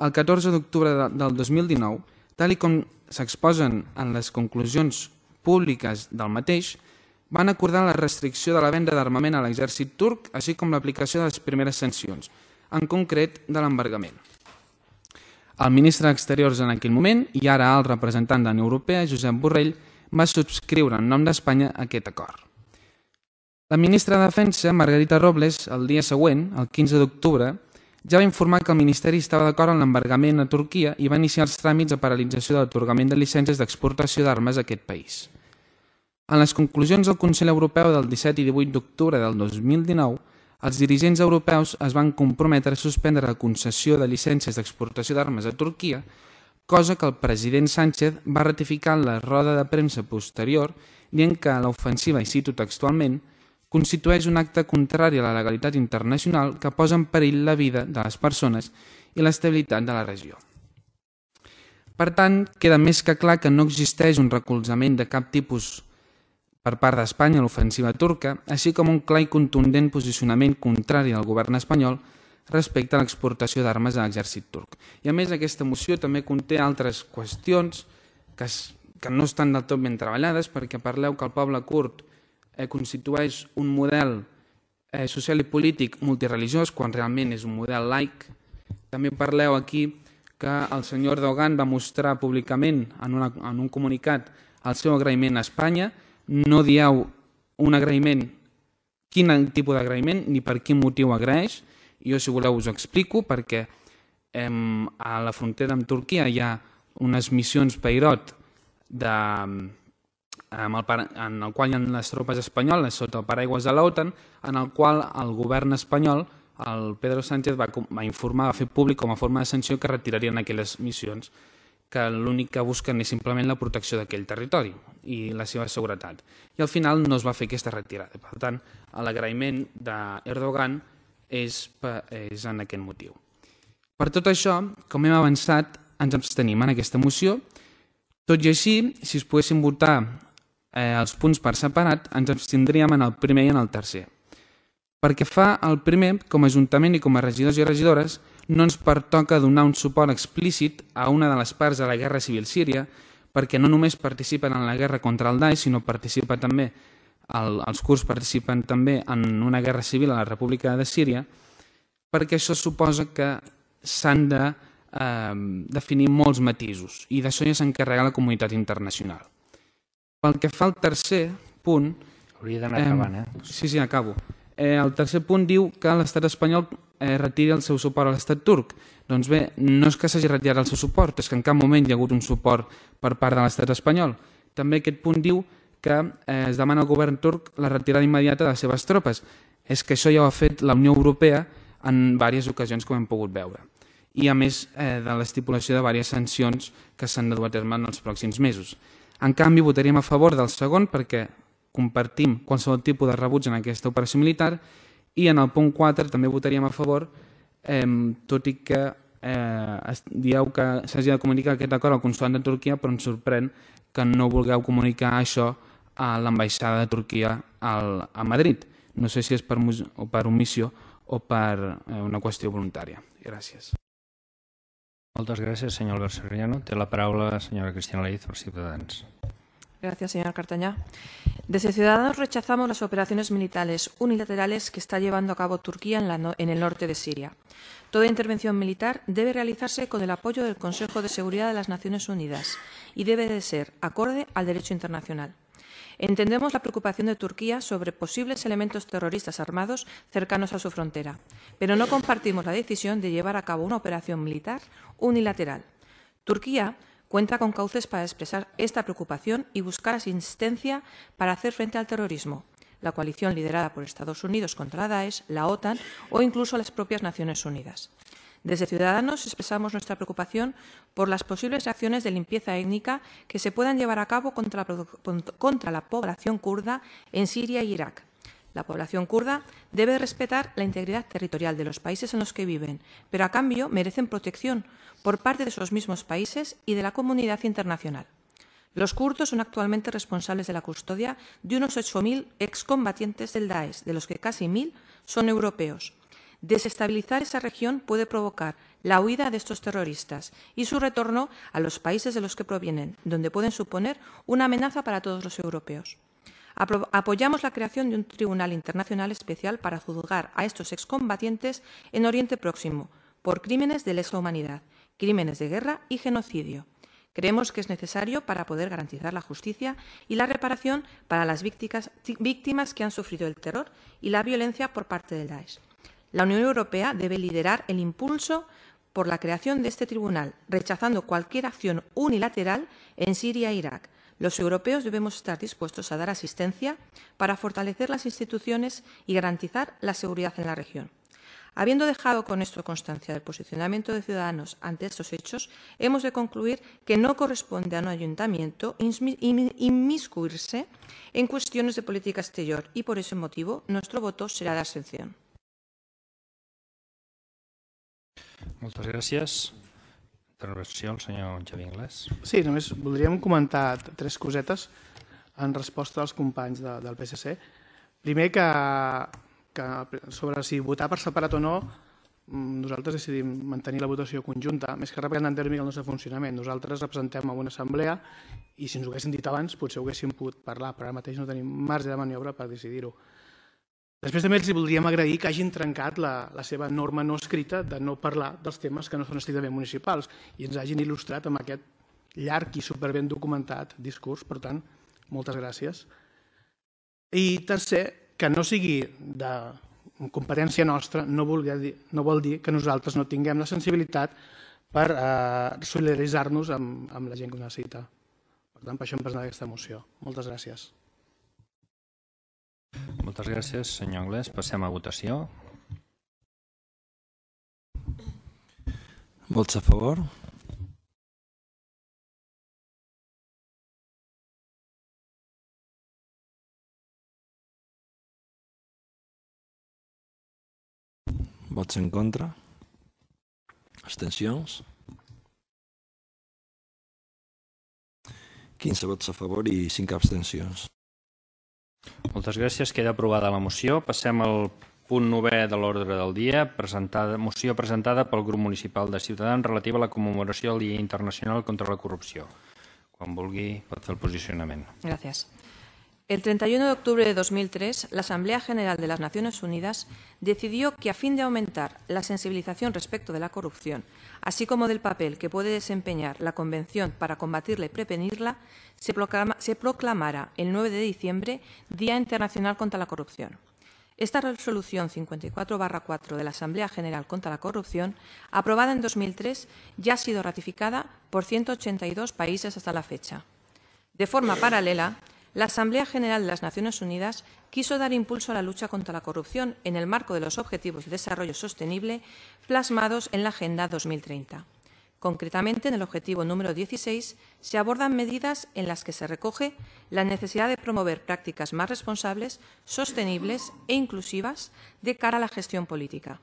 el catorze d'octubre del dos mil dinou, tal i com s'exposen en les conclusions públiques del mateix, van acordar la restricció de la venda d'armament a l'exèrcit turc, així com l'aplicació de les primeres sancions, en concret de l'embargament. El ministre d'Exteriors en aquell moment, i ara el representant de la Unió Europea, Josep Borrell, va subscriure en nom d'Espanya aquest acord. La ministra de Defensa, Margarita Robles, el dia següent, el quinze d'octubre, ja va informar que el Ministeri estava d'acord amb l'embargament a Turquia i va iniciar els tràmits de paralització de l'atorgament de llicències d'exportació d'armes a aquest país. En les conclusions del Consell Europeu del disset i divuit d'octubre del dos mil dinou, els dirigents europeus es van comprometre a suspendre la concessió de llicències d'exportació d'armes a Turquia, cosa que el president Sánchez va ratificar en la roda de premsa posterior, dient que l'ofensiva, i cito textualment, constitueix un acte contrari a la legalitat internacional que posa en perill la vida de les persones i l'estabilitat de la regió. Per tant, queda més que clar que no existeix un recolzament de cap tipus per part d'Espanya a l'ofensiva turca, així com un clar i contundent posicionament contrari al govern espanyol respecte a l'exportació d'armes a l'exèrcit turc. I a més, aquesta moció també conté altres qüestions que, es, que no estan del tot ben treballades, perquè parleu que el poble kurd eh, constitueix un model eh, social i polític multireligiós, quan realment és un model laic. També parleu aquí que el senyor Erdogan va mostrar públicament en, una, en un comunicat el seu agraïment a Espanya. No dieu un agraïment, quin tipus d'agraïment ni per quin motiu agraeix. Jo, si voleu, us ho explico, perquè eh, a la frontera amb Turquia hi ha unes missions Peirot de, amb el, en el qual hi ha les tropes espanyoles sota el paraigües de l'OTAN, en el qual el govern espanyol, el Pedro Sánchez, va, va informar, va fer públic com a forma de sanció que retirarien aquelles missions, que l'únic que busquen és simplement la protecció d'aquell territori i la seva seguretat. I al final no es va fer aquesta retirada. Per tant, l'agraïment d'Erdogan és, és en aquest motiu. Per tot això, com hem avançat, ens abstenim en aquesta moció. Tot i així, si es poguessin votar eh, els punts per separat, ens abstindríem en el primer i en el tercer. Perquè fa el primer, com a Ajuntament i com a regidors i regidores, no ens pertoca donar un suport explícit a una de les parts de la guerra civil síria, perquè no només participen en la guerra contra el Daesh, sinó participa també, el, els kurds participen també en una guerra civil a la República de Síria, perquè això suposa que s'han de eh, definir molts matisos, i d'això ja s'encarrega la comunitat internacional. Pel que fa al tercer punt... Hauria d'anar eh, acabant, eh? Sí, sí, acabo. Eh, el tercer punt diu que l'estat espanyol eh, retiri el seu suport a l'estat turc. Doncs bé, no és que s'hagi retirat el seu suport, és que en cap moment hi ha hagut un suport per part de l'estat espanyol. També aquest punt diu que eh, es demana al govern turc la retirada immediata de les seves tropes. És que això ja ho ha fet la Unió Europea en diverses ocasions, com hem pogut veure. I a més eh, de l'estipulació de diverses sancions que s'han de dur a terme en els pròxims mesos. En canvi, votaríem a favor del segon perquè compartim qualsevol tipus de rebuig en aquesta operació militar, i en el punt quatre també votaríem a favor, eh, tot i que eh, dieu que s'hagi de comunicar aquest acord al consolat de Turquia, però ens sorprèn que no vulgueu comunicar això a l'ambaixada de Turquia al, a Madrid. No sé si és per, o per omissió o per eh, una qüestió voluntària. Gràcies. Moltes gràcies, senyor Albert Soriano. Té la paraula la senyora Cristina Leiz per Ciutadans. Gracias, señor Cartañá. Desde Ciudadanos rechazamos las operaciones militares unilaterales que está llevando a cabo Turquía en, la no, en el norte de Siria. Toda intervención militar debe realizarse con el apoyo del Consejo de Seguridad de las Naciones Unidas y debe de ser acorde al derecho internacional. Entendemos la preocupación de Turquía sobre posibles elementos terroristas armados cercanos a su frontera, pero no compartimos la decisión de llevar a cabo una operación militar unilateral. Turquía cuenta con cauces para expresar esta preocupación y buscar asistencia para hacer frente al terrorismo, la coalición liderada por Estados Unidos contra la Daesh, la OTAN o incluso las propias Naciones Unidas. Desde Ciudadanos expresamos nuestra preocupación por las posibles acciones de limpieza étnica que se puedan llevar a cabo contra la, contra la población kurda en Siria e Irak. La población kurda debe respetar la integridad territorial de los países en los que viven, pero a cambio merecen protección por parte de esos mismos países y de la comunidad internacional. Los kurdos son actualmente responsables de la custodia de unos ocho mil excombatientes del Daesh, de los que casi mil son europeos. Desestabilizar esa región puede provocar la huida de estos terroristas y su retorno a los países de los que provienen, donde pueden suponer una amenaza para todos los europeos. Apro- apoyamos la creación de un tribunal internacional especial para juzgar a estos excombatientes en Oriente Próximo por crímenes de lesa humanidad, crímenes de guerra y genocidio. Creemos que es necesario para poder garantizar la justicia y la reparación para las víctimas, víctimas que han sufrido el terror y la violencia por parte del Daesh. La Unión Europea debe liderar el impulso por la creación de este tribunal, rechazando cualquier acción unilateral en Siria e Irak. Los europeos debemos estar dispuestos a dar asistencia para fortalecer las instituciones y garantizar la seguridad en la región. Habiendo dejado con esto constancia del posicionamiento de Ciudadanos ante estos hechos, hemos de concluir que no corresponde a un ayuntamiento inmiscuirse en cuestiones de política exterior y, por ese motivo, nuestro voto será de abstención. Moltes gràcies. Intervenció el senyor Xavier Inglés. Sí, només voldríem comentar tres cosetes en resposta als companys de, del P S C. Primer, que, que sobre si votar per separat o no, nosaltres decidim mantenir la votació conjunta, més que representant tèrmic el nostre funcionament. Nosaltres representem a una assemblea i si ens ho haguessin dit abans potser ho haguéssim pogut parlar, però ara mateix no tenim marge de maniobra per decidir-ho. Després també els voldríem agrair que hagin trencat la, la seva norma no escrita de no parlar dels temes que no són estrictament municipals i ens hagin il·lustrat amb aquest llarg i superben documentat discurs. Per tant, moltes gràcies. I tercer, que no sigui de competència nostra no vol dir, no vol dir que nosaltres no tinguem la sensibilitat per eh, solidaritzar-nos amb, amb la gent que ho necessita. Per tant, per això hem presentat aquesta moció. Moltes gràcies. Moltes gràcies, senyor Anglès. Passem a votació. Vots a favor? Vots en contra? Abstencions? quinze vots a favor i cinc abstencions. Moltes gràcies. Queda aprovada la moció. Passem al punt novè de l'ordre del dia, presentada, moció presentada pel grup municipal de Ciutadans relativa a la commemoració del Dia Internacional contra la Corrupció. Quan vulgui pot fer el posicionament. Gracias. El treinta y uno de octubre de dos mil tres, la Asamblea General de las Naciones Unidas decidió que, a fin de aumentar la sensibilización respecto de la corrupción, así como del papel que puede desempeñar la Convención para combatirla y prevenirla, se, proclama, se proclamara el nueve de diciembre Día Internacional contra la Corrupción. Esta resolución cincuenta y cuatro barra cuatro de la Asamblea General contra la Corrupción, aprobada en dos mil tres, ya ha sido ratificada por ciento ochenta y dos países hasta la fecha. De forma paralela, la Asamblea General de las Naciones Unidas quiso dar impulso a la lucha contra la corrupción en el marco de los Objetivos de Desarrollo Sostenible plasmados en la Agenda dos mil treinta. Concretamente, en el objetivo número dieciséis se abordan medidas en las que se recoge la necesidad de promover prácticas más responsables, sostenibles e inclusivas de cara a la gestión política.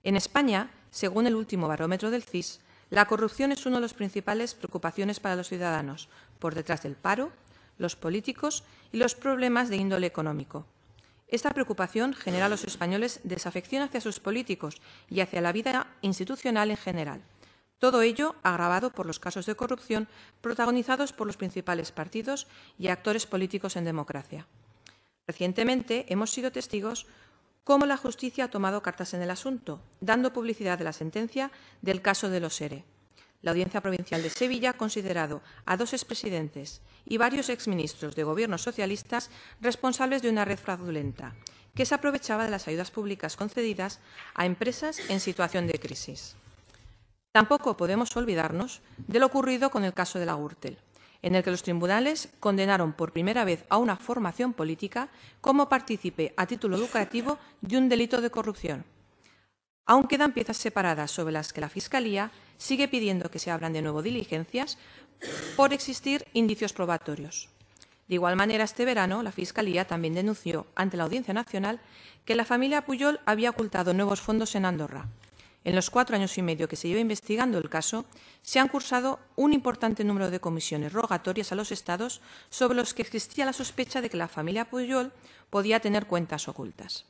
En España, según el último barómetro del C I S, la corrupción es una de las principales preocupaciones para los ciudadanos, por detrás del paro, los políticos y los problemas de índole económico. Esta preocupación genera a los españoles desafección hacia sus políticos y hacia la vida institucional en general. Todo ello agravado por los casos de corrupción protagonizados por los principales partidos y actores políticos en democracia. Recientemente hemos sido testigos cómo la justicia ha tomado cartas en el asunto, dando publicidad de la sentencia del caso de los ERE. La Audiencia Provincial de Sevilla ha considerado a dos expresidentes y varios exministros de gobiernos socialistas responsables de una red fraudulenta que se aprovechaba de las ayudas públicas concedidas a empresas en situación de crisis. Tampoco podemos olvidarnos de lo ocurrido con el caso de la Gürtel, en el que los tribunales condenaron por primera vez a una formación política como partícipe a título lucrativo de un delito de corrupción. Aún quedan piezas separadas sobre las que la Fiscalía sigue pidiendo que se abran de nuevo diligencias por existir indicios probatorios. De igual manera, este verano, la Fiscalía también denunció ante la Audiencia Nacional que la familia Pujol había ocultado nuevos fondos en Andorra. En los cuatro años y medio que se lleva investigando el caso, se han cursado un importante número de comisiones rogatorias a los Estados sobre los que existía la sospecha de que la familia Pujol podía tener cuentas ocultas.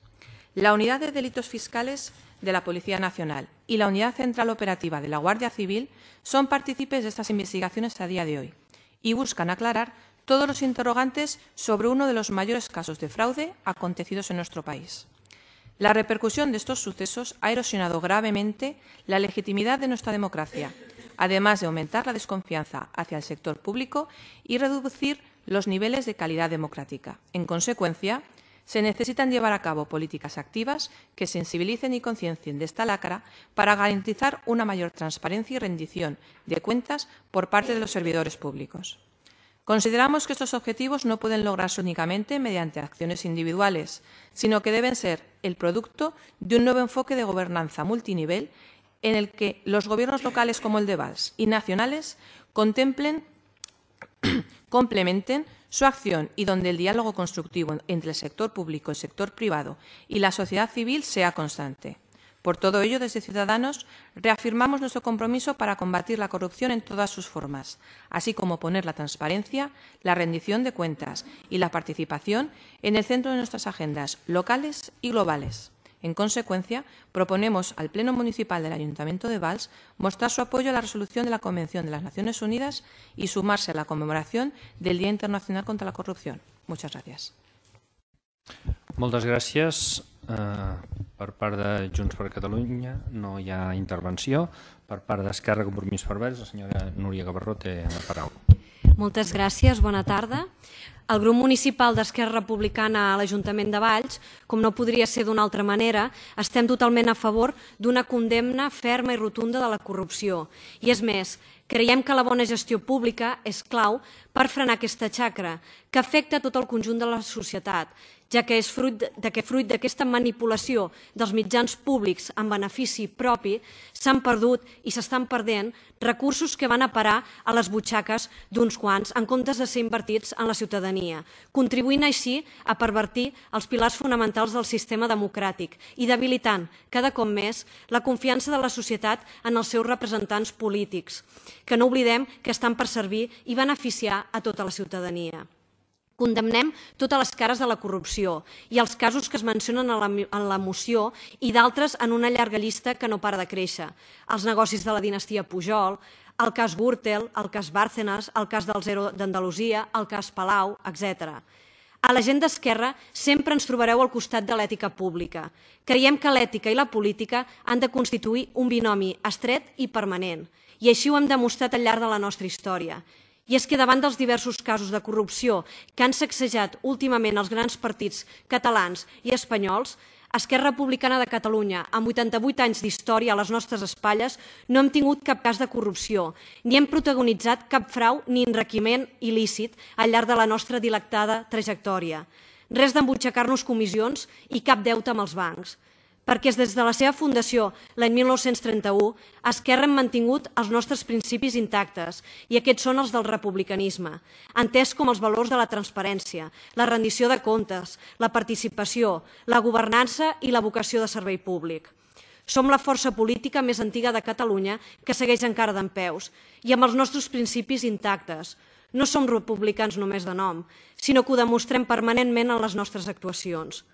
la Unidad de Delitos Fiscales de la Policía Nacional y la Unidad Central Operativa de la Guardia Civil son partícipes de estas investigaciones a día de hoy y buscan aclarar todos los interrogantes sobre uno de los mayores casos de fraude acontecidos en nuestro país. La repercusión de estos sucesos ha erosionado gravemente la legitimidad de nuestra democracia, además de aumentar la desconfianza hacia el sector público y reducir los niveles de calidad democrática. En consecuencia, se necesitan llevar a cabo políticas activas que sensibilicen y conciencien de esta lacra para garantizar una mayor transparencia y rendición de cuentas por parte de los servidores públicos. Consideramos que estos objetivos no pueden lograrse únicamente mediante acciones individuales, sino que deben ser el producto de un nuevo enfoque de gobernanza multinivel en el que los gobiernos locales como el de Valls y nacionales contemplen, complementen su acción y donde el diálogo constructivo entre el sector público, el sector privado y la sociedad civil sea constante. Por todo ello, desde Ciudadanos, reafirmamos nuestro compromiso para combatir la corrupción en todas sus formas, así como poner la transparencia, la rendición de cuentas y la participación en el centro de nuestras agendas locales y globales. En consecuencia, proponemos al Pleno Municipal del Ayuntamiento de Valls mostrar su apoyo a la resolución de la Convención de las Naciones Unidas y sumarse a la conmemoración del Día Internacional contra la Corrupción. Muchas gràcies. Moltes gràcies. Uh, per part de Junts per Catalunya no hi ha intervenció. Per part d'Esquerra Compromís per Valls, la senyora Núria Gavarró té la paraula. Moltes gràcies, bona tarda. El grup municipal d'Esquerra Republicana a l'Ajuntament de Valls, com no podria ser d'una altra manera, estem totalment a favor d'una condemna ferma i rotunda de la corrupció. I és més, creiem que la bona gestió pública és clau per frenar aquesta xacra, que afecta tot el conjunt de la societat, ja que és fruit de que fruit d'aquesta manipulació dels mitjans públics en benefici propi s'han perdut i s'estan perdent recursos que van a parar a les butxaques d'uns quants en comptes de ser invertits en la ciutadania, contribuint així a pervertir els pilars fonamentals del sistema democràtic i debilitant cada cop més la confiança de la societat en els seus representants polítics, que no oblidem que estan per servir i beneficiar a tota la ciutadania. Condemnem totes les cares de la corrupció i els casos que es mencionen en la moció i d'altres en una llarga llista que no para de créixer. Els negocis de la dinastia Pujol, el cas Gürtel, el cas Bárcenas, el cas del Zero d'Andalusia, el cas Palau, etcètera. A la gent d'Esquerra sempre ens trobareu al costat de l'ètica pública. Creiem que l'ètica i la política han de constituir un binomi estret i permanent, i així ho hem demostrat al llarg de la nostra història. I és que davant dels diversos casos de corrupció que han sacsejat últimament els grans partits catalans i espanyols, Esquerra Republicana de Catalunya, amb vuitanta-vuit anys d'història a les nostres espatlles, no hem tingut cap cas de corrupció, ni hem protagonitzat cap frau ni enriquiment il·lícit al llarg de la nostra dilectada trajectòria. Res d'embutxacar-nos comissions i cap deute amb els bancs. Perquè des de la seva fundació, l'any mil nou-cents trenta-u, Esquerra hem mantingut els nostres principis intactes, i aquests són els del republicanisme, entès com els valors de la transparència, la rendició de comptes, la participació, la governança i la vocació de servei públic. Som la força política més antiga de Catalunya que segueix encara dempeus, i amb els nostres principis intactes. No som republicans només de nom, sinó que ho demostrem permanentment en les nostres actuacions.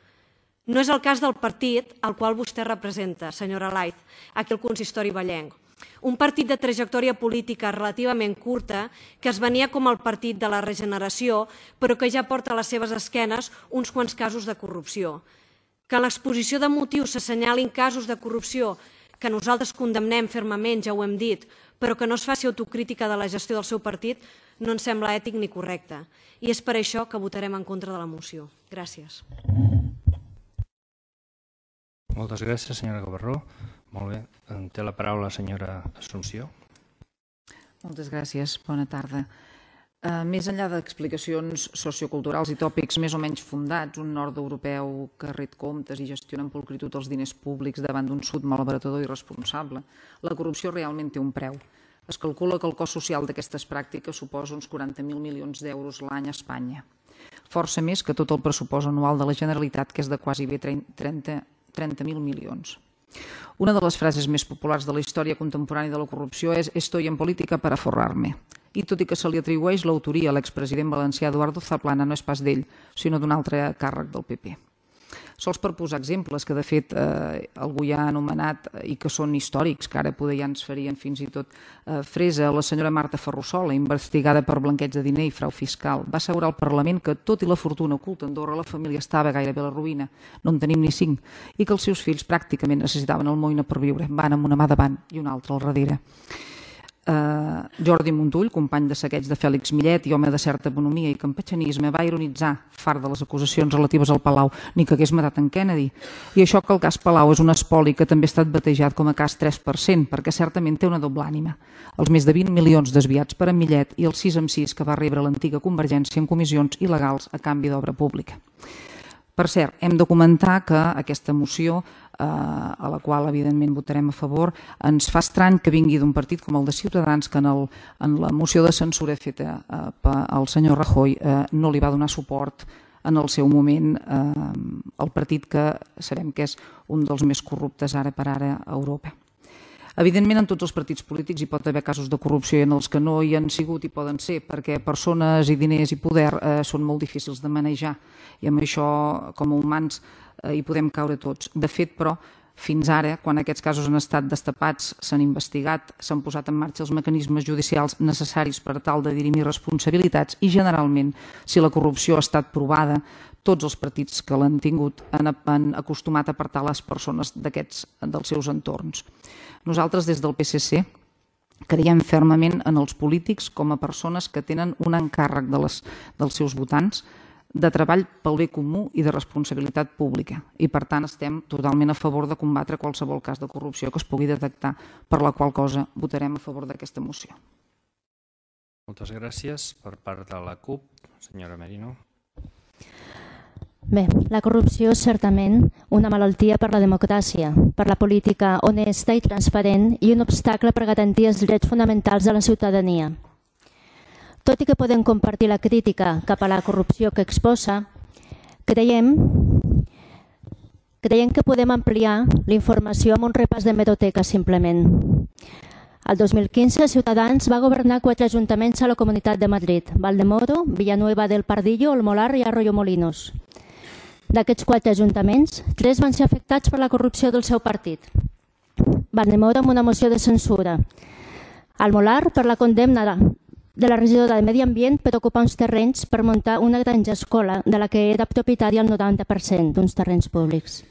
No és el cas del partit al qual vostè representa, senyora Laiz, aquí al consistori vallenc. Un partit de trajectòria política relativament curta que es venia com el partit de la regeneració, però que ja porta a les seves esquenes uns quants casos de corrupció. Que en l'exposició de motius s'assenyalin casos de corrupció que nosaltres condemnem fermament, ja ho hem dit, però que no es faci autocrítica de la gestió del seu partit, no ens sembla ètic ni correcte. I és per això que votarem en contra de la moció. Gràcies. Moltes gràcies, senyora Gavarró. Molt bé. Té la paraula la senyora Assumpció. Moltes gràcies. Bona tarda. Uh, més enllà d'explicacions socioculturals i tòpics més o menys fundats, un nord europeu que ret comptes i gestiona amb pulcritud els diners públics davant d'un sud malbaratador i irresponsable, la corrupció realment té un preu. Es calcula que el cost social d'aquestes pràctiques suposa uns quaranta mil milions d'euros l'any a Espanya. Força més que tot el pressupost anual de la Generalitat, que és de quasi bé trenta mil milions. Una de les frases més populars de la història contemporània de la corrupció és «Estoy en política para forrar-me». I tot i que se li atribueix l'autoria a l'expresident valencià Eduardo Zaplana, no és pas d'ell, sinó d'un altre càrrec del P P. Sols per posar exemples que de fet eh, algú ja ha anomenat i que són històrics, que ara poder ja ens farien fins i tot eh, fresa. La senyora Marta Ferrusola, investigada per blanqueig de diner i frau fiscal, va assegurar al Parlament que tot i la fortuna oculta a Andorra la família estava gairebé a la ruïna, no en tenim ni cinc, i que els seus fills pràcticament necessitaven el moïna per viure, van amb una mà davant i una altra al darrere. Uh, Jordi Montull, company de saqueig de Fèlix Millet i home de certa economia i campatxanisme, va ironitzar, fart de les acusacions relatives al Palau, ni que hagués matat en Kennedy. I això que el cas Palau és un espoli que també ha estat batejat com a cas tres per cent, perquè certament té una doble ànima. Els més de vint milions desviats per en Millet i els sis amb sis que va rebre l'antiga Convergència en comissions il·legals a canvi d'obra pública. Per cert, hem de comentar que aquesta moció, eh, a la qual evidentment votarem a favor, ens fa estrany que vingui d'un partit com el de Ciutadans, que en, el, en la moció de censura feta eh, pel senyor Rajoy eh, no li va donar suport en el seu moment eh, el partit que sabem que és un dels més corruptes ara per ara a Europa. Evidentment, en tots els partits polítics hi pot haver casos de corrupció i en els que no hi han sigut i poden ser, perquè persones i diners i poder eh, són molt difícils de manejar i amb això, com a humans, eh, hi podem caure tots. De fet, però, fins ara, quan aquests casos han estat destapats, s'han investigat, s'han posat en marxa els mecanismes judicials necessaris per tal de dirimir responsabilitats i, generalment, si la corrupció ha estat provada, tots els partits que l'han tingut han, han acostumat a apartar les persones d'aquests dels seus entorns. Nosaltres, des del P S C, creiem fermament en els polítics com a persones que tenen un encàrrec de les, dels seus votants de treball pel bé comú i de responsabilitat pública. I, per tant, estem totalment a favor de combatre qualsevol cas de corrupció que es pugui detectar, per la qual cosa votarem a favor d'aquesta moció. Moltes gràcies. Per part de la CUP, senyora Merino. Bé, la corrupció és certament una malaltia per la democràcia, per la política honesta i transparent i un obstacle per garantir els drets fonamentals de la ciutadania. Tot i que podem compartir la crítica cap a la corrupció que exposa, creiem, creiem que podem ampliar la informació amb un repàs d'hemeroteca simplement. El dos mil quinze, Ciutadans va governar quatre ajuntaments a la Comunitat de Madrid: Valdemoro, Villanueva del Pardillo, El Molar i Arroyo-Molinos. D'aquests quatre ajuntaments, tres van ser afectats per la corrupció del seu partit. Valdemoro amb una moció de censura. El Molar per la condemna de la regidora de Medi Ambient per ocupar uns terrenys per muntar una granja escola de la que era propietària el noranta per cent d'uns terrenys públics.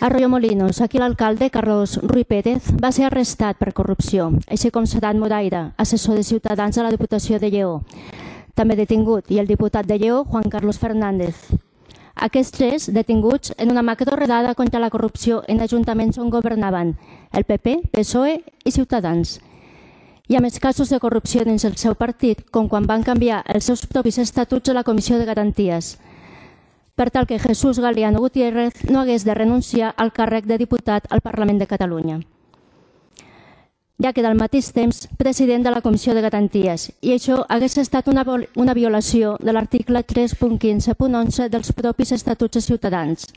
Arroyo-Molinos, aquí l'alcalde, Carlos Ruy Pérez, va ser arrestat per corrupció, així com Sedat Moraira, assessor de Ciutadans a la Diputació de Lleó. També detingut, i el diputat de Lleó, Juan Carlos Fernández. Aquests tres detinguts en una macroredada contra la corrupció en ajuntaments on governaven el P P, P S O E i Ciutadans. Hi ha més casos de corrupció dins el seu partit, com quan van canviar els seus propis estatuts a la Comissió de Garanties, per tal que Jesús Galeano Gutiérrez no hagués de renunciar al càrrec de diputat al Parlament de Catalunya, ja que al mateix temps president de la Comissió de Garanties, i això hagués estat una, una violació de l'article tres punt quinze punt onze dels propis estatuts de Ciutadans,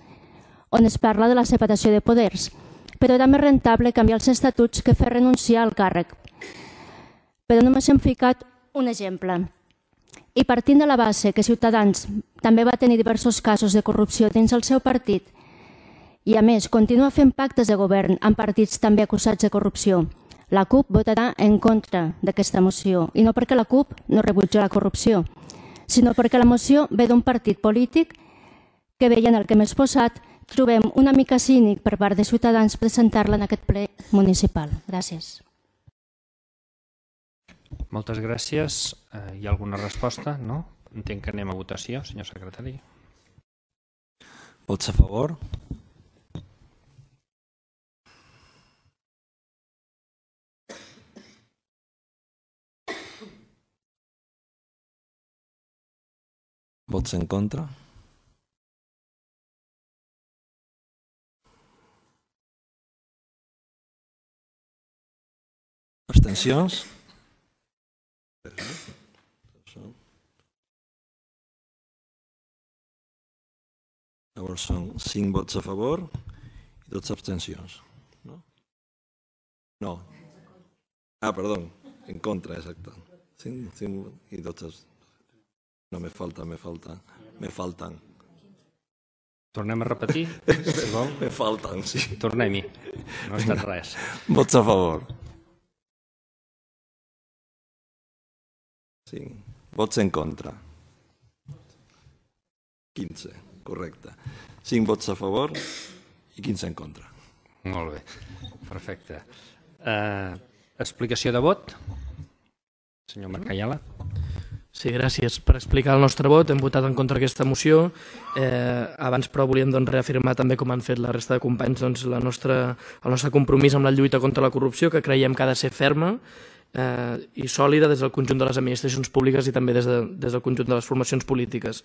on es parla de la separació de poders, però era més rentable canviar els estatuts que fer renunciar al càrrec. Però només hem ficat un exemple. I partint de la base que Ciutadans també va tenir diversos casos de corrupció dins el seu partit i, a més, continua fent pactes de govern amb partits també acusats de corrupció, la CUP votarà en contra d'aquesta moció, i no perquè la CUP no rebutja la corrupció, sinó perquè la moció ve d'un partit polític que, veient el que hem exposat, trobem una mica cínic per part de Ciutadans presentar-la en aquest ple municipal. Gràcies. Moltes gràcies. Hi ha alguna resposta? No? Entenc que anem a votació, senyor secretari. Vots a favor? Vots en contra? Abstencions? Llavors són cinc vots a favor i dotze abstencions. No? No. Ah, perdó, en contra, exacte. cinc, cinc i dotze. No, me falta, me falta, me faltan. Tornem a repetir, si vol. Me falten, sí. Tornem-hi. No ha estat res. Vots a favor. cinc. Vots en contra. quinze, correcte. cinc vots a favor i quinze en contra. Molt bé, perfecte. Uh, explicació de vot? Senyor Marc Ayala. Sí, gràcies. Per explicar el nostre vot, hem votat en contra aquesta moció. Eh, abans, però, volíem doncs, reafirmar també, com han fet la resta de companys, doncs, la nostra, el nostre compromís amb la lluita contra la corrupció, que creiem que ha de ser ferma eh, i sòlida des del conjunt de les administracions públiques i també des, de, des del conjunt de les formacions polítiques.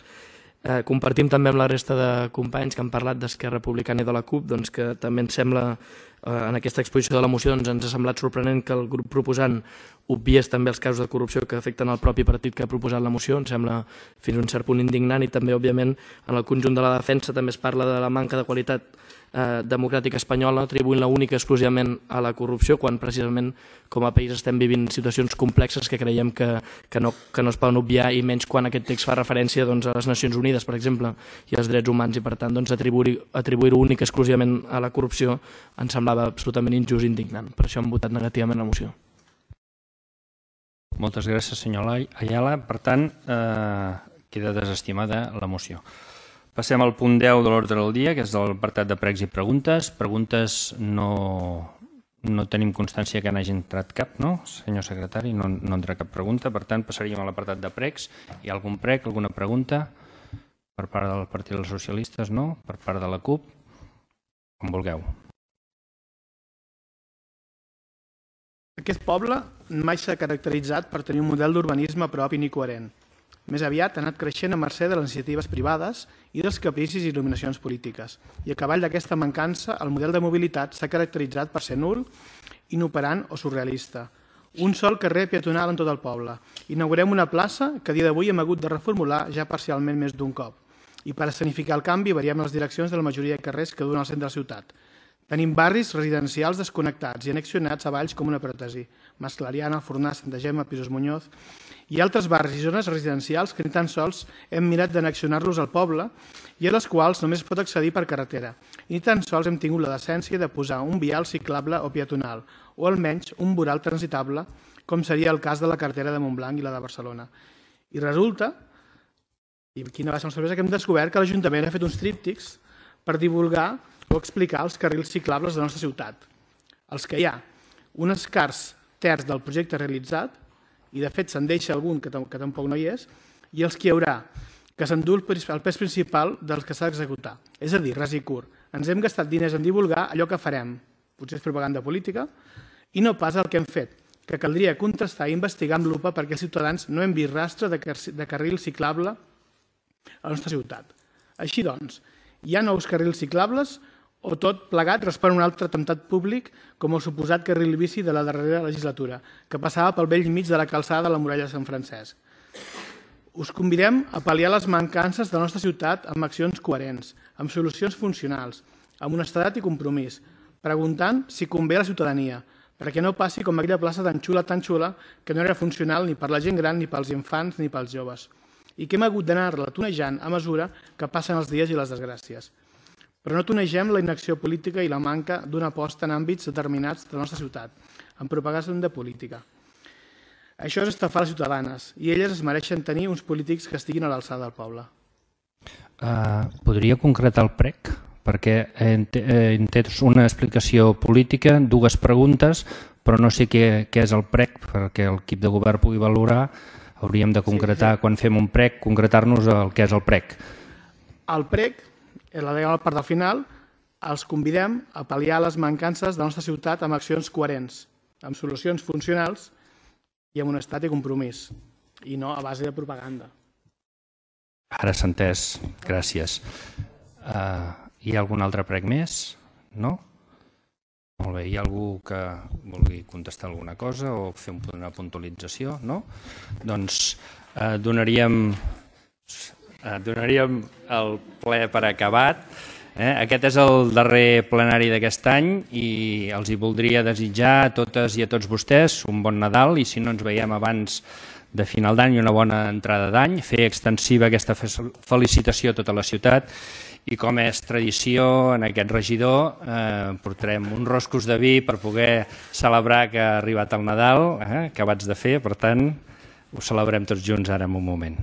Eh, compartim també amb la resta de companys que han parlat d'Esquerra Republicana i de la CUP, doncs, que també ens sembla, eh, en aquesta exposició de la moció, doncs, ens ha semblat sorprenent que el grup proposant obviés també els casos de corrupció que afecten el propi partit que ha proposat la moció. Ens sembla fins a un cert punt indignant, i també, òbviament, en el conjunt de la defensa també es parla de la manca de qualitat eh, democràtica espanyola, atribuint-la única exclusivament a la corrupció, quan precisament com a país estem vivint situacions complexes que creiem que, que, no, que no es poden obviar, i menys quan aquest text fa referència doncs, a les Nacions Unides, per exemple, i als drets humans, i per tant doncs, atribuir-ho atribuir únic exclusivament a la corrupció ens semblava absolutament injust i indignant. Per això hem votat negativament la moció. Moltes gràcies, senyor Ayala. Per tant, eh, queda desestimada la moció. Passem al punt deu de l'ordre del dia, que és l'apartat de pregs i preguntes. Preguntes no, no tenim constància que n'hagi entrat cap, no? Senyor secretari, no, no entra cap pregunta. Per tant, passaríem a l'apartat de pregs. Hi ha algun preg, alguna pregunta? Per part del Partit dels Socialistes, no? Per part de la CUP? Com vulgueu. Aquest poble mai s'ha caracteritzat per tenir un model d'urbanisme propi ni coherent. Més aviat ha anat creixent a mercè de les iniciatives privades i dels capricis i il·luminacions polítiques. I a cavall d'aquesta mancança, el model de mobilitat s'ha caracteritzat per ser nul, inoperant o surrealista. Un sol carrer peatonal en tot el poble. Inaugurem una plaça que a dia d'avui hem hagut de reformular ja parcialment més d'un cop. I per escenificar el canvi variem les direccions de la majoria de carrers que duen al centre de la ciutat. Tenim barris residencials desconnectats i annexionats a valls com una pròtesi, Mas Clariana, Fornà, Santa Gemma, Pisos Muñoz, i altres barris i zones residencials que ni tan sols hem mirat d'annexionar-los al poble i a les quals només es pot accedir per carretera. I ni tan sols hem tingut la decència de posar un vial ciclable o peatonal, o almenys un voral transitable, com seria el cas de la carretera de Montblanc i la de Barcelona. I resulta, i quina va ser la sorpresa, que hem descobert que l'Ajuntament ha fet uns tríptics per divulgar o explicar els carrils ciclables de la nostra ciutat. Els que hi ha, un escàs terç del projecte realitzat, i de fet se'n deixa algun que, que tampoc no hi és, i els que hi haurà, que s'endú el pes principal dels que s'ha d'executar. És a dir, ras i curt, ens hem gastat diners en divulgar allò que farem, potser és propaganda política, i no pas el que hem fet, que caldria contrastar i investigar amb lupa perquè els ciutadans no hem vist rastre de, car de carril ciclable a la nostra ciutat. Així doncs, hi ha nous carrils ciclables o tot plegat respon a un altre atemptat públic com el suposat carril bici de la darrera legislatura, que passava pel vell mig de la calçada de la muralla de Sant Francesc. Us convidem a pal·liar les mancances de la nostra ciutat amb accions coherents, amb solucions funcionals, amb honestedat i compromís, preguntant si convé a la ciutadania, perquè no passi com aquella plaça tan xula, tan xula, que no era funcional ni per la gent gran, ni pels infants, ni pels joves, i que hem hagut d'anar-la tonejant a mesura que passen els dies i les desgràcies. Però no tonegem la inacció política i la manca d'una aposta en àmbits determinats de la nostra ciutat, amb propaganda política. Això és estafar les ciutadanes, i elles es mereixen tenir uns polítics que estiguin a l'alçada del poble. Uh, podria concretar el prec? Perquè he entès una explicació política, dues preguntes, però no sé què, què és el prec, perquè l'equip de govern pugui valorar. Hauríem de concretar, quan fem un prec, concretar-nos el que és el prec. El prec, la deia part del final, els convidem a pal·liar les mancances de la nostra ciutat amb accions coherents, amb solucions funcionals i amb honestedat i compromís, i no a base de propaganda. Ara s'ha entès. Gràcies. Uh, hi ha algun altre prec més? No? Molt bé. Hi ha algú que vulgui contestar alguna cosa o fer una puntualització? No? Doncs uh, donaríem... Donaríem el ple per acabat. Eh? Aquest és el darrer plenari d'aquest any i els hi voldria desitjar a totes i a tots vostès un bon Nadal, i si no ens veiem abans de final d'any i una bona entrada d'any, fer extensiva aquesta felicitació a tota la ciutat i, com és tradició, en aquest regidor eh, portarem uns roscos de vi per poder celebrar que ha arribat el Nadal, eh, acabats de fer, per tant ho celebrem tots junts ara en un moment.